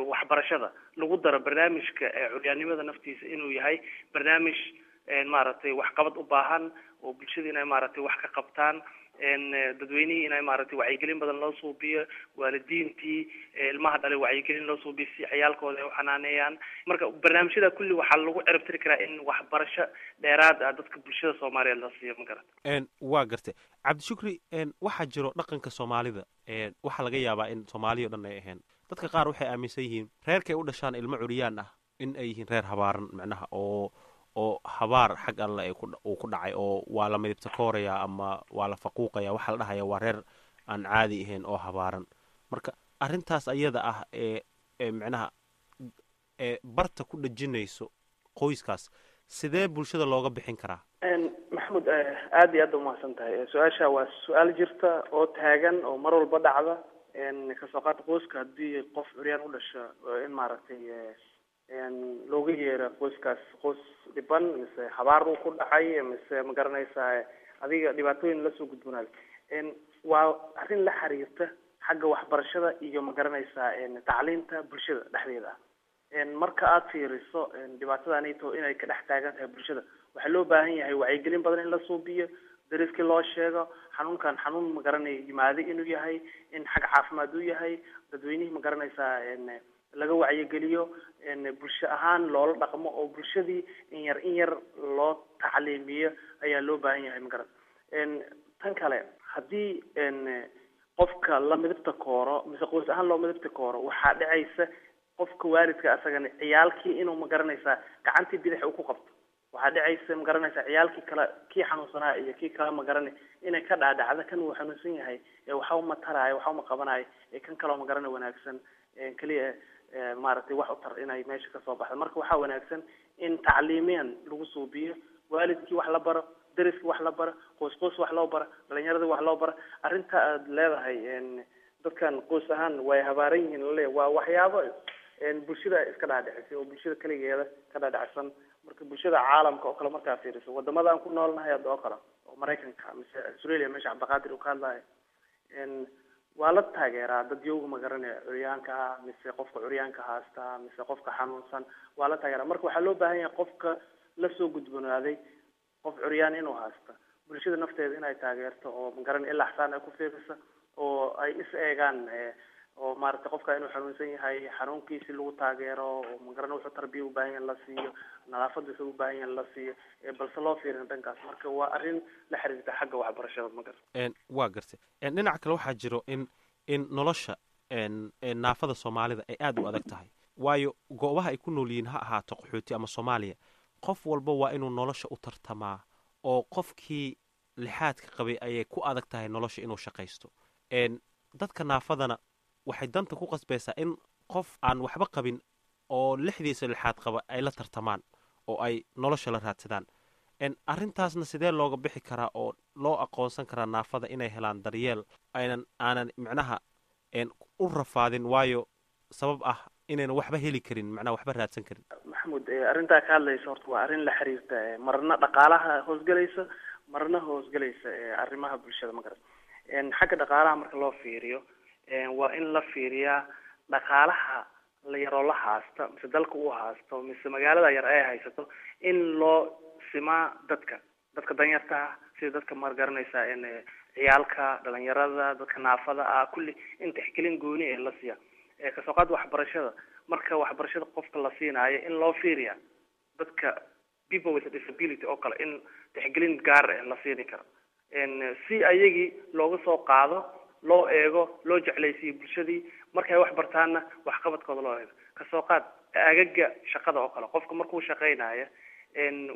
Speaker 15: waxbarashada lagu daro barnaamijka curyaannimada naftiisa inuu yahay barnaamij maaragtay waxqabad u baahan oo bulshada inay maaragtay wax ka qabtaan, dadweynihii inay maaragtay wacyigelin badan loo suubiyo, waalidiintii ilmaha dhalay wacyigelin loo suubiyo si ciyaalkooda ay u xanaaneeyaan. Marka barnaamijyada kulli waxaa lagu ciribtiri karaa in waxbarasho dheeraad ah dadka bulshada Soomaaliyeed la siiyo. Ma garata?
Speaker 1: Waa gartay Cabdishukri. Waxaa jiro dhaqanka soomaalida, waxaa laga yaabaa in Soomaaliya o dhan ay ahayn, dadka qaar waxay aaminsan yihiin reerkay u dhashaan ilmo curyaan ah in ay yihiin reer habaaran, macnaha oo oo habaar xag alle ay uu ku dhacay, oo waa la midibta kooraya ama waa la faquuqaya, waxaa la dhahaya waa reer aan caadi ahayn oo habaaran. Marka arrintaas ayada ah ee ee macnaha ee barta ku dhejinayso qoyskaas, sidee bulshada looga bixin karaa?
Speaker 15: Maxamuud, aad iyo aad umahadsan tahay. Su-aasha waa su-aal jirta oo taagan oo mar walba dhacda. Kasoo qaad qoyska haddii qof curyaan u dhasho in maaragtay looga yeero qoyskaas qoys dhiban mise habaar uu ku dhacay mise ma garanaysaa adiga dhibaatooyin lasoo gudboonaada. Waa arrin la xiriirta xagga waxbarashada iyo ma garanaysaa tacliinta bulshada dhexdeeda ah. Marka aad fiiriso dhibaatadaanito inay ka dhex taagan tahay bulshada, waxaa loo baahan yahay wacyigelin badan in la suubiyo, dariskii loo sheego xanuunkan xanuun ma garanay yimaade inuu yahay, in xag caafimaad uu yahay, dadweynihii ma garanaysaa laga wacyigeliyo, bulsho ahaan loola dhaqmo oo bulshadii in yar in yar loo tacliimiyo ayaa loo baahan yahay. Ma garan tan kale haddii qofka la midibta kooro mise qoys ahaan loo midibta kooro, waxaa dhacaysa qofka waalidka asagana ciyaalkii inuu ma garanaysaa gacantii bidix uu ku qabto. Waxaa dhacaysa ma garanaysaa ciyaalkii kale kii xanuunsanaa iyo kii kale ma garanay inay ka dhaadhacda kan uu xanuunsan yahay ee waxa uma taraayo, waxa uma qabanayo, ee kan kaloo ma garanay wanaagsan keliya maaragtay wax u tar inay meesha kasoo baxdo. Marka waxaa wanaagsan in tacliimiyan lagu suubiyo, waalidkii wax la baro, dariskii wax la baro, qoys qoys wax loo baro, dhalinyaradii wax loo baro. Arrinta aad leedahay dadkan qoys ahaan way habaaran yihiin lale waa waxyaabo bulshada iska dhaadhicisay oo bulshada keligeeda ka dhaadhacsan. Marka bulshada caalamka oo kale markaa fiiriso wadamada aan ku noolnahay hadda oo kale oo Maraykanka mise Australia meesha Cabdiqaadir uu ka hadlayo, waa la taageeraa dad yowga ma garanaya curyaanka ah mise qofka curyaanka haasta mise qofka xanuunsan waa la taageeraa. Marka waxaa loo baahan yahay qofka lasoo gudboonaaday Qof curyaan inuu haysto, bulshada nafteeda inay taageerto oo magaran ilaa xsaan ay ku fiirisa oo ay is eegaan, oo maaragtay qofka inuu xanuunsan yahay xanuunkiisi lagu taageero, oo magaran wuxuu tarbiya u baahan yahay la siiyo, nadaafad wuxuu u baahan yahay la siiyo, balse loo fiirin dhankaas. Marka waa arrin la xiriirta xagga waxbarashada, ma garta.
Speaker 1: Waa gartay. Dhinaca kale waxaa jiro in in nolosha naafada Soomaalida ay aada u adag tahay, waayo goobaha ay ku nool yihiin, ha ahaato qaxooti ama Soomaaliya, qof walba waa inuu nolosha u tartamaa, oo qofkii lixaadka qabay ayay ku adag tahay nolosha inuu shaqaysto. Dadka naafadana waxay danta ku qasbaysaa in qof aan waxba qabin oo lixdiisa lixaad qaba ay la tartamaan oo ay nolosha la raadsadaan. Arrintaasna sidee looga bixi karaa oo loo aqoonsan karaa naafada inay helaan daryeel aynan aanan micnaha u rafaadin, waayo sabab ah inaynan waxba heli karin, macnaha waxba raadsan karin?
Speaker 15: Maxamuud, arrintaa ka hadlaysa horta waa arrin la xiriirta marna dhaqaalaha hoosgelaysa, marna hoosgelaysa arrimaha bulshada, ma garat. Xagga dhaqaalaha marka loo fiiriyo, waa in la fiiriyaa dhaqaalaha la yaroo la haasta, mise dalka uu haasto, mise magaalada yar ay haysato, in loo simaa dadka dadka danyarta ah, sida dadka maar garanaysaa in ciyaalka, dhalinyarada, dadka naafada ah, kulli in tixgelin gooni ee la siiya. Kasoo qaad waxbarashada, marka waxbarashada qofka la siinaayo in loo fiiriya dadka people with a disability oo kale, in tixgelin gaar ah la siini karo, si ayagii looga soo qaado, loo eego, loo jeclaysiiyo bulshadii markay wax bartaanna waxqabadkooda loo eego. Kasoo qaad agaga shaqada oo kale, qofka markuu shaqaynayo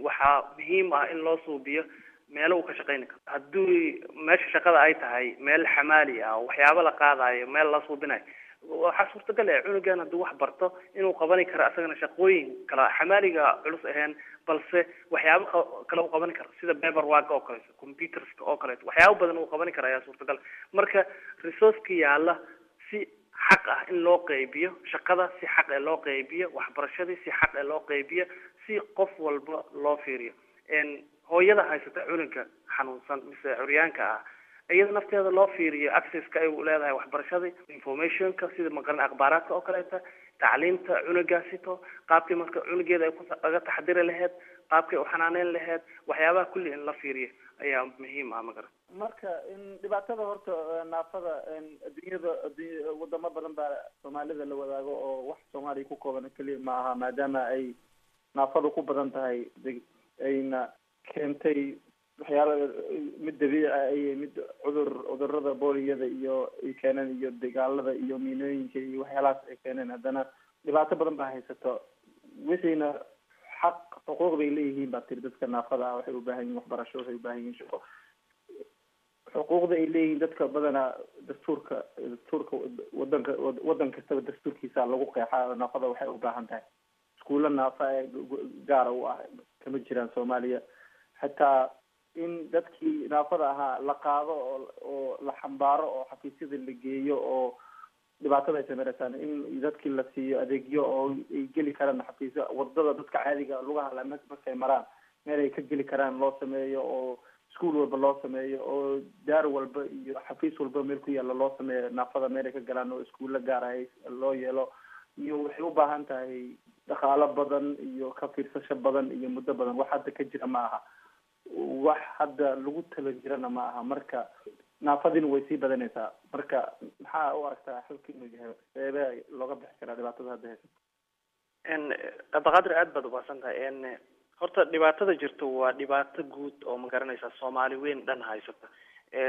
Speaker 15: waxaa muhiim ah in loo suubiyo meelo uu ka shaqayni karo. Haddii meesha shaqada ay tahay meel xamaali ah oo waxyaabo la qaadayo, meel la suubinayo, waxaa suurtagal ah cunugan hadduu wax barto inuu qabani karo asagana shaqooyin kale, xamaaliga culus ahayn, balse waxyaabo kale uu qabani karo, sida paper work oo kaleeto, computerska oo kaleeto, waxyaabo badan uu qabani karo ayaa suurtagal. Marka resourceka yaalla si xaq ah in loo qeybiyo, shaqada si xaq ah loo qeybiyo, waxbarashadii si xaq ah loo qeybiyo, si qof walba loo fiiriyo. Hooyada haysata cunuga xanuunsan mise curyaanka ah, iyada nafteeda loo fiiriyo accesska ay u leedahay waxbarashadii, informationka, sida maqaran akhbaaraadka oo kaleeta, tacliinta cunugaasito, qaabkii marka cunugeeda ay kuga taxadiri lahayd, qaabkay u xanaaneyn lahayd, waxyaabaha kulli in la fiiriyo ayaa muhiim ah, magaran.
Speaker 16: Marka in dhibaatada horta naafada adduunyada, addunya wadamo badan baa Soomaalida la wadaago, oo wax Soomaaliya ku kooban keliya ma aha, maadaama ay naafadu ku badan tahay, ayna keentay waxyaala mid dabiici ah iyo mid cudur, cudurada booliyada iyo ay keeneen, iyo dagaalada iyo miinooyinka iyo waxyaalahaas ay keeneen. Haddana dhibaato badan baa haysato, wixiina xaq xuquuq bay leeyihiin baa tiri. Dadka naafada ah waxay u baahan yihin waxbarasho, waxay u baahan yihiin shaqo. Xuquuqda ay leeyihiin dadka badanaa dastuurka dastuurka wadanka, wadan kastaba dastuurkiisa lagu qeexaa. Naafada waxay u baahan tahay iskuulla naafa ee gaara u ah kama jiraan Soomaaliya. Xitaa in dadkii naafada ahaa la qaado oo oo la xambaaro oo xafiisyada la geeyo oo dhibaatada ay sameysaan, in dadkii la siiyo adeegyo oo ay geli karaan xafiisyo, wadada dadka caadiga lugaha la markay maraan meel ay ka geli karaan loo sameeyo, oo iskuol walba loo sameeyo, oo daar walba iyo xafiis walba meel ku yaalla loo sameeyo naafada meel ay ka galaan, oo iskuulla gaar ah loo yeelo. Iyo waxay u baahan tahay dhaqaalo badan iyo ka fiirsasho badan iyo muddo badan. Wax hadda ka jira ma aha, wax hadda lagu tala jirana ma aha. Marka naafadiina way sii badanaysaa. Marka maxaa u aragtaa xalka inuu yahay? Seebee looga bixi karaa dhibaatada hadda haysa?
Speaker 15: Cabdiqaadir, aad baad ubaahsan tahay. Horta dhibaatada jirto waa dhibaato guud oo ma garanaysaa Soomaali weyn dhan haysata,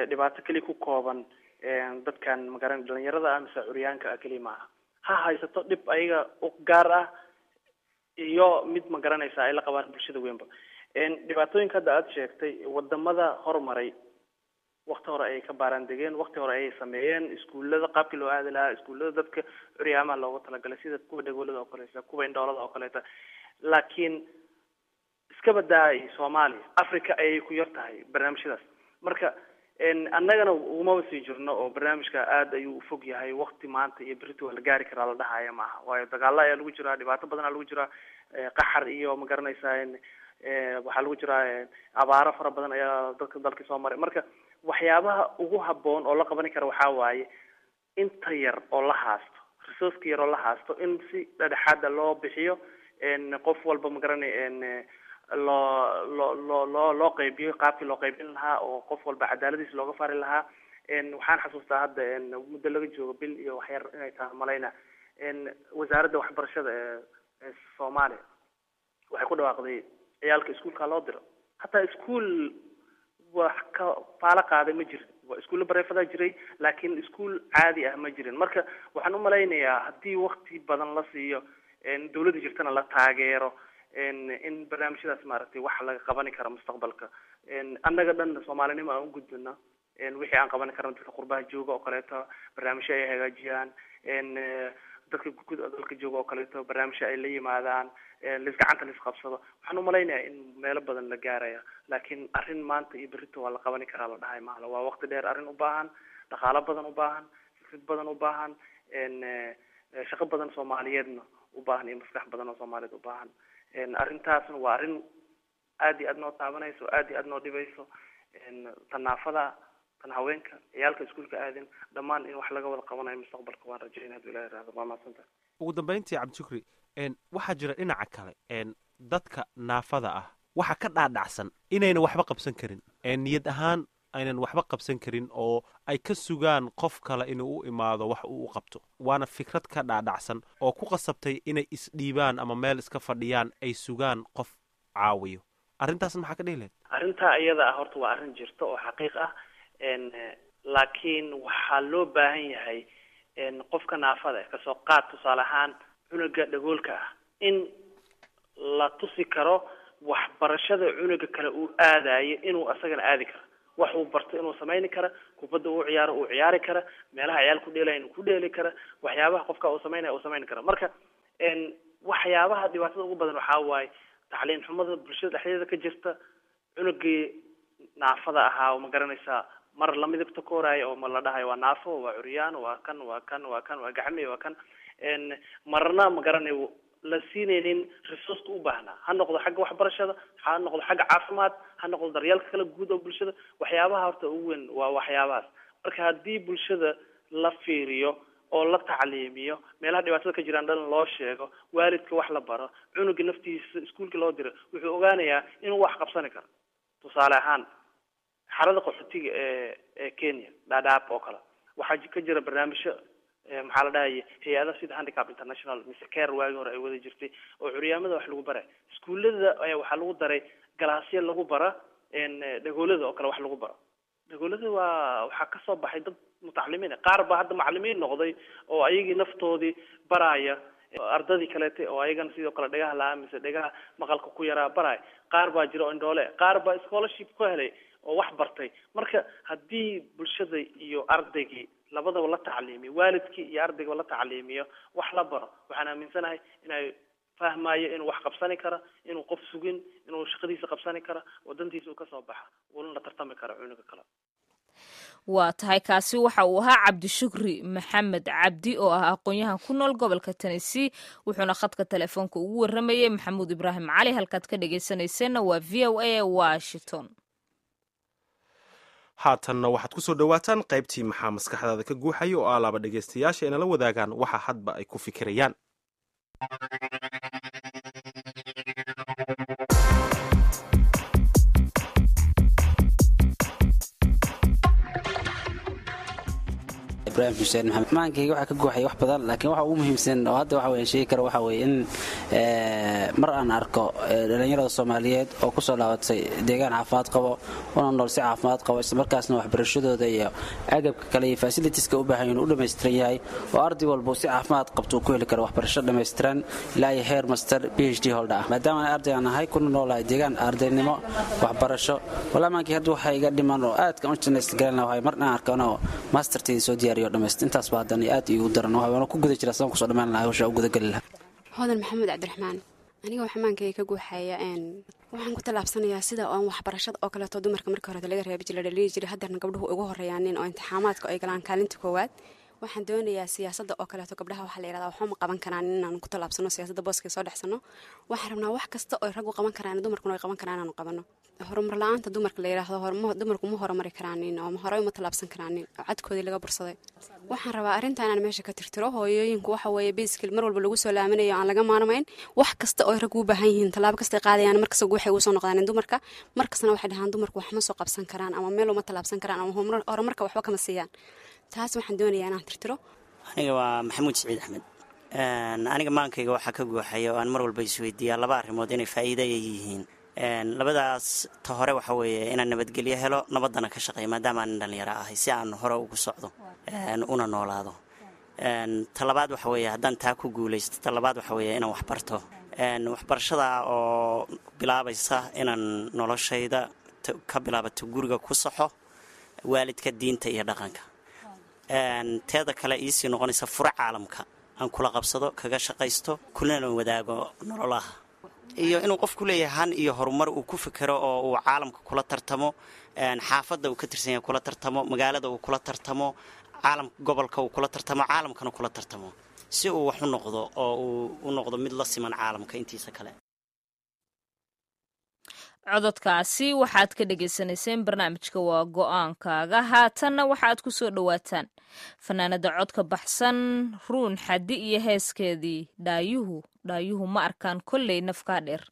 Speaker 15: dhibaato keliya ku kooban dadkan magaran dhalinyarada ah mise curyaanka ah keliya maaha. Ha haysato dhib ayaga u gaar ah iyo mid ma garanaysaa ay la qabaan bulshada weynba. Dhibaatooyinka hadda aada sheegtay, wadamada horumaray wakti hore ayay ka baaraan degeen, wakti hore ayay sameeyeen iskuullada qaabkii loo aadi lahaa, iskuullada dadka curyaamaha loogu talagalay, sida kuwa dhagoolada oo kaleeta, kuwa indhoolada oo kaleeta. Laakiin iska badaay Soomaaliya, Africa ayay ku yar tahay barnaamijyadaas. Marka annagana ugumaba sii jirno oo barnaamijka aada ayuu ufog yahay. Wakti maanta iyo berito waa la gaari karaa la dhahaya maaha, waayo dagaalo ayaa lagu jiraa, dhibaato badan aa lagu jiraa, qaxar iyo ma garanaysaa waxaa lagu jiraa abaaro fara badan ayaa dadka dalkii soo maray. Marka waxyaabaha ugu habboon oo la qabani kara waxaa waaye inta yar oo la haasto, resourceka yar oo la haasto, in si dhadhexaada loo bixiyo. Qof walba ma garanay Loo loo loo loo loo qaybiyo qaabkii loo qaybin lahaa oo qof walba cadaaladiisa looga fari lahaa. Waxaan xasuustaa hadda muddo laga joogo bil iyo waxyar inay tahay malayna, wasaaradda waxbarashada ee ee Soomaaliya waxay ku dhawaaqday ciyaalka iskuulka loo diro. Hataa iskuul wax ka faalo qaaday ma jirin. Waa iskuulla bareefadaa jiray, laakiin iskuul caadi ah ma jirin. Marka waxaan umalaynayaa haddii wakti badan la siiyo, dawladda jirtana la taageero, in barnaamijyadaas maaragtay wax laga qabani karo mustaqbalka. Annaga dhan Soomaalinimo aan u gudbino wixii aan qaban karno. Dadka qurbaha jooga oo kaleeto barnaamijyo ay hagaajiyaan, dadka guud dalka jooga oo kaleeto barnaamijyo ay la yimaadaan, lis gacanta lis qabsado, waxaan umalaynayaa in meelo badan la gaaraya. Laakiin arrin maanta iyo berrito waa la qabani karaa la dhahay mahala. Waa waqti dheer, arrin u baahan dhaqaalo badan, u baahan fikrad badan, u baahan shaqo badan Soomaaliyeedna u baahan iyo maskax badan oo Soomaaliyeed u baahan. Arrintaasna waa arrin aad iyo aad noo taabanayso, aad iyo aad noo dhibayso, tan naafada, tan haweenka, ciyaalka iskuulka aadin, dhammaan in wax laga wada qabanayo mustaqbalka waan rajaynaya haduu Ilahi raado. Waa mahadsantahay.
Speaker 1: Ugu dambeyntii, Cabdishukri, waxaa jira dhinaca kale dadka naafada ah waxa ka dhaadhacsan inaynan waxba qabsan karin, niyad ahaan aynan waxba qabsan karin, oo ay ka sugaan qof kale inuu u imaado wax uu u qabto. Waana fikrad ka dhaadhacsan oo ku qasabtay inay isdhiibaan ama meel iska fadhiyaan, ay sugaan qof caawiyo. Arrintaas maxaa ka dhihi lahayd?
Speaker 15: Arrintaa iyada ah horta waa arrin jirta oo xaqiiq ah, laakiin waxaa loo baahan yahay qofka naafada kasoo qaad tusaale ahaan cunuga dhagoolka ah in la tusi karo waxbarashada cunuga kale uu aadayo inuu asagana aadi karo, wax uu barto inuu samayni kara, kubadda uu ciyaaro uu ciyaari kara, meelaha ciyaal ku dheelaya inuu ku dheeli kara, waxyaabaha qofka uu samaynaya uu samayn kara. Marka waxyaabaha dhibaatada ugu badan waxaa waaye tacliin xumada bulshada dhexdeeda ka jirta. Cunugii naafada ahaa ma garanaysaa mar la midabta kooraayo oo ma la dhahayo waa naafo, waa curyaan, waa kan, waa kan, waa kan, waa gacmi, waa kan, marna ma garanayo la siinaynin resourceka u baahnaa, ha noqdo xagga waxbarashada, ha noqdo xagga caafimaad, ha noqdo daryeelka kala guud oo bulshada. Waxyaabaha horta ugu weyn waa waxyaabahaas. Marka haddii bulshada la fiiriyo oo la tacliimiyo, meelaha dhibaatada ka jiraan dhan loo sheego, waalidka wax la baro, cunuga naftiisa iskuulka loo diro, wuxuu ogaanayaa inuu wax qabsani karo. Tusaale ahaan xarada qaxootiga ee ee Kenya, Dhadhaab oo kale, waxaa ka jira barnaamijyo, maxaa la dhahaya, hay-adaha sida Handicap International mise Care waagii hore ay wada jirtay oo curyaamada wax lagu baray. Iskuullada ayaa waxaa lagu daray galaasyo lagu bara dhagoolada oo kale wax lagu baro. Dhagoolada waa waxaa kasoo baxay dad mutacalimiin, qaar baa hadda macalimiin noqday oo ayagii naftoodii baraya ardadii kaleete oo ayagana sidoo kale dhagaha la-aan mise dhagaha maqalka ku yaraa baraya. Qaar baa jira oo indhoole, qaar baa scholarship ku helay oo wax bartay. Marka haddii bulshada iyo ardaygii labadaba la tacliimiyo, waalidkii iyo ardaygaba la tacliimiyo, wax la baro, waxaan aaminsanahay inay fahmayo inuu wax qabsani karo, inuu qof sugin, inuu shaqadiisa qabsani karo oo dantiisa uu kasoo baxa, uuna la tartami karo cunuga kale.
Speaker 7: Waa tahay, kaasi waxa uu ahaa Cabdishukri Maxamed Cabdi oo ah aqoon-yahan ku nool gobolka Tennessee, wuxuuna khadka telefoonka ugu warramayay Maxamuud Ibraahim Cali. Halkaad ka dhegaysanayseena waa V O A Washington.
Speaker 1: Haatanna waxaad ku soo dhowaataan qaybtii maxaa maskaxdaada ka guuxaya, oo alaaba dhegaystayaasha inala wadaagaan waxa hadba ay ku fikirayaan.
Speaker 17: Ibrahim Xuseen Maxamed. Maankayga waxaa ka guuxaya wax badan, laakiin waxa ugu muhiimsan oo hadda waxa weeye sheegi kara waxa weeye in mar aan arko dhallinyarada Soomaaliyeed oo ku soo laabatay deegaan caafimaad qabo, una nool si caafimaad qabo, isla markaasna waxbarashadooda iyo agabka kale iyo fasilitiska u baahan yihiin u dhammaystiran yahay, oo arday walba si caafimaad qabto uu ku heli karo waxbarasho dhammaystiran ilaa iyo heer master P H D holder ah. Maadaama aan arday aan ahay kuna noolahay deegaan ardaynimo waxbarasho, walaa maankii hadda waxaa iga dhiman oo aadka u jeclaysan garan lahaa mar aan arko anoo mastertayda soo diyaariyo dhammayst. Intaas baa haddana aad iigu daran, waana ku guda jira sidaan kusoo dhammaan lahaa hawsha u gudageli lahaa.
Speaker 18: Hodan Maxamuud Cabdiraxmaan. Aniga waxaa maankayga ka guuxaya waxaan ku tallaabsanayaa sida oon waxbarashada oo kaleeto dumarka markii hore laga reebi jiray, la dhaliili jiray, haddana gabdhuhu ugu horreeyaanin oo imtixaamaadka ay galaan kaalinta koowaad. Waxaan doonayaa siyaasadda oo kaleeto, gabdhaha waxaa la yidhahdaa waxba ma qaban karaan, inaanu ku tallaabsano siyaasadda, booskay soo dhexsano. Waxaan rabnaa wax kasta oo raggu qaban karaan, dumarkuna ay qaban karaan, inaanu qabano. Horumar la-aanta dumarka la yidhaahdo, dumarku ma horumari karaanin oo horey uma tallaabsan karaanin oo cadkoodii laga bursaday. Waxaan rabaa arrinta inaan meesha ka tirtiro. Hooyooyinku waxa weeye basically mar walba lagu soo laaminayo, aan laga maarmayn. Wax kasta oo raggu u baahan yihiin, tallaabo kasta ay qaadayaan, markasta waxay ugu soo noqdaan dumarka. Markastana waxay dhahaan dumarku wax ma soo qabsan karaan ama meel uma tallaabsan karaan ama horumarka waxba kama siiyaan. Taas waxaan doonayaa inaan tirtiro.
Speaker 19: Aniga waa Maxamuud Siciid Axmed. Aniga maankayga waxaa ka guuxaya oo aan mar walba isweydiiyaa laba arrimood inay faa'iida ay yihiin labadaas. Ta hore waxa weeye inaan nabadgelyo helo, nabaddana ka shaqeeyo, maadaama aanan dhalinyaro ahay, si aan hore ugu socdo una noolaado. Ta labaad waxa weeye, haddaan taa ku guulaysto, ta labaad waxa weeye inaan waxbarto, waxbarashada oo bilaabaysa inaan noloshayda ka bilaabato guriga, ku saxo waalidka, diinta iyo dhaqanka. Teeda kale iisii noqonaysa fure caalamka aan kula qabsado, kaga shaqaysto, kulana wadaago nololaha, iyo inuu qofku leeyahay han iyo horumar uu ku fikero oo uu caalamka kula tartamo, xaafadda uu ka tirsan yahay kula tartamo, magaalada uu kula tartamo, caalam gobolka uu kula tartamo, caalamkana kula tartamo, si uu wax u noqdo oo uu u noqdo mid la siman caalamka intiisa kale.
Speaker 7: Cododkaasi waxaad ka dhagaysanayseen barnaamijka Waa Go-aankaaga. Haatanna waxaad ku soo dhowaataan fanaanada codka baxsan Ruun Xaddi iyo heeskeedii Dhaayuhu Dhaayuhu Ma Arkaan Kolley Nafkaa Dheer.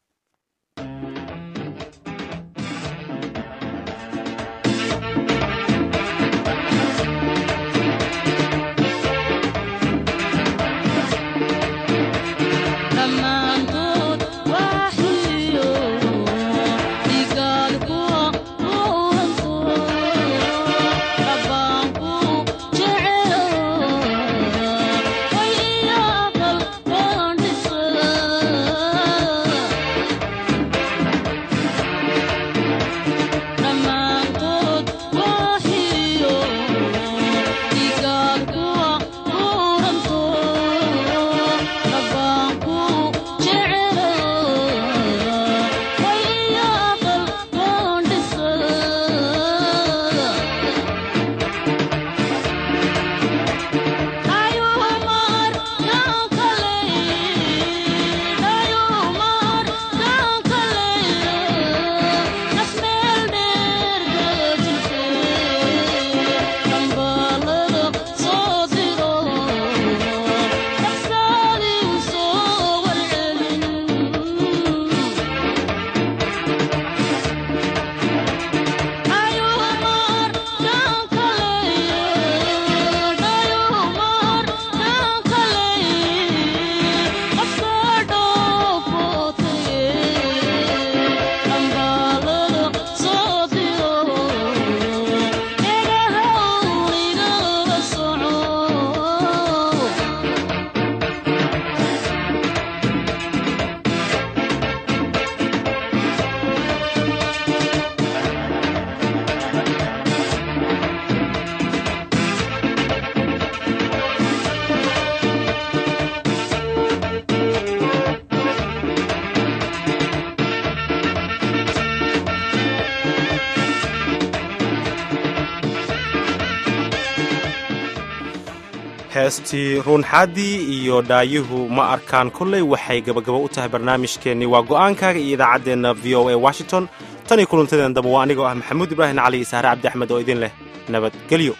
Speaker 1: Heestii Ruunxaadi iyo Dhaayuhu Ma Arkaan Kolley waxay gabagabo u tahay barnaamijkeennii Waa Go'aankaaga iyo idaacaddeenna V O A Washington. Tan iyo kulantadeena damba, waa anigoo ah Maxamuud Ibraahim Cali iyo Sahre Cabdi Axmed oo idin leh nabadgelyo.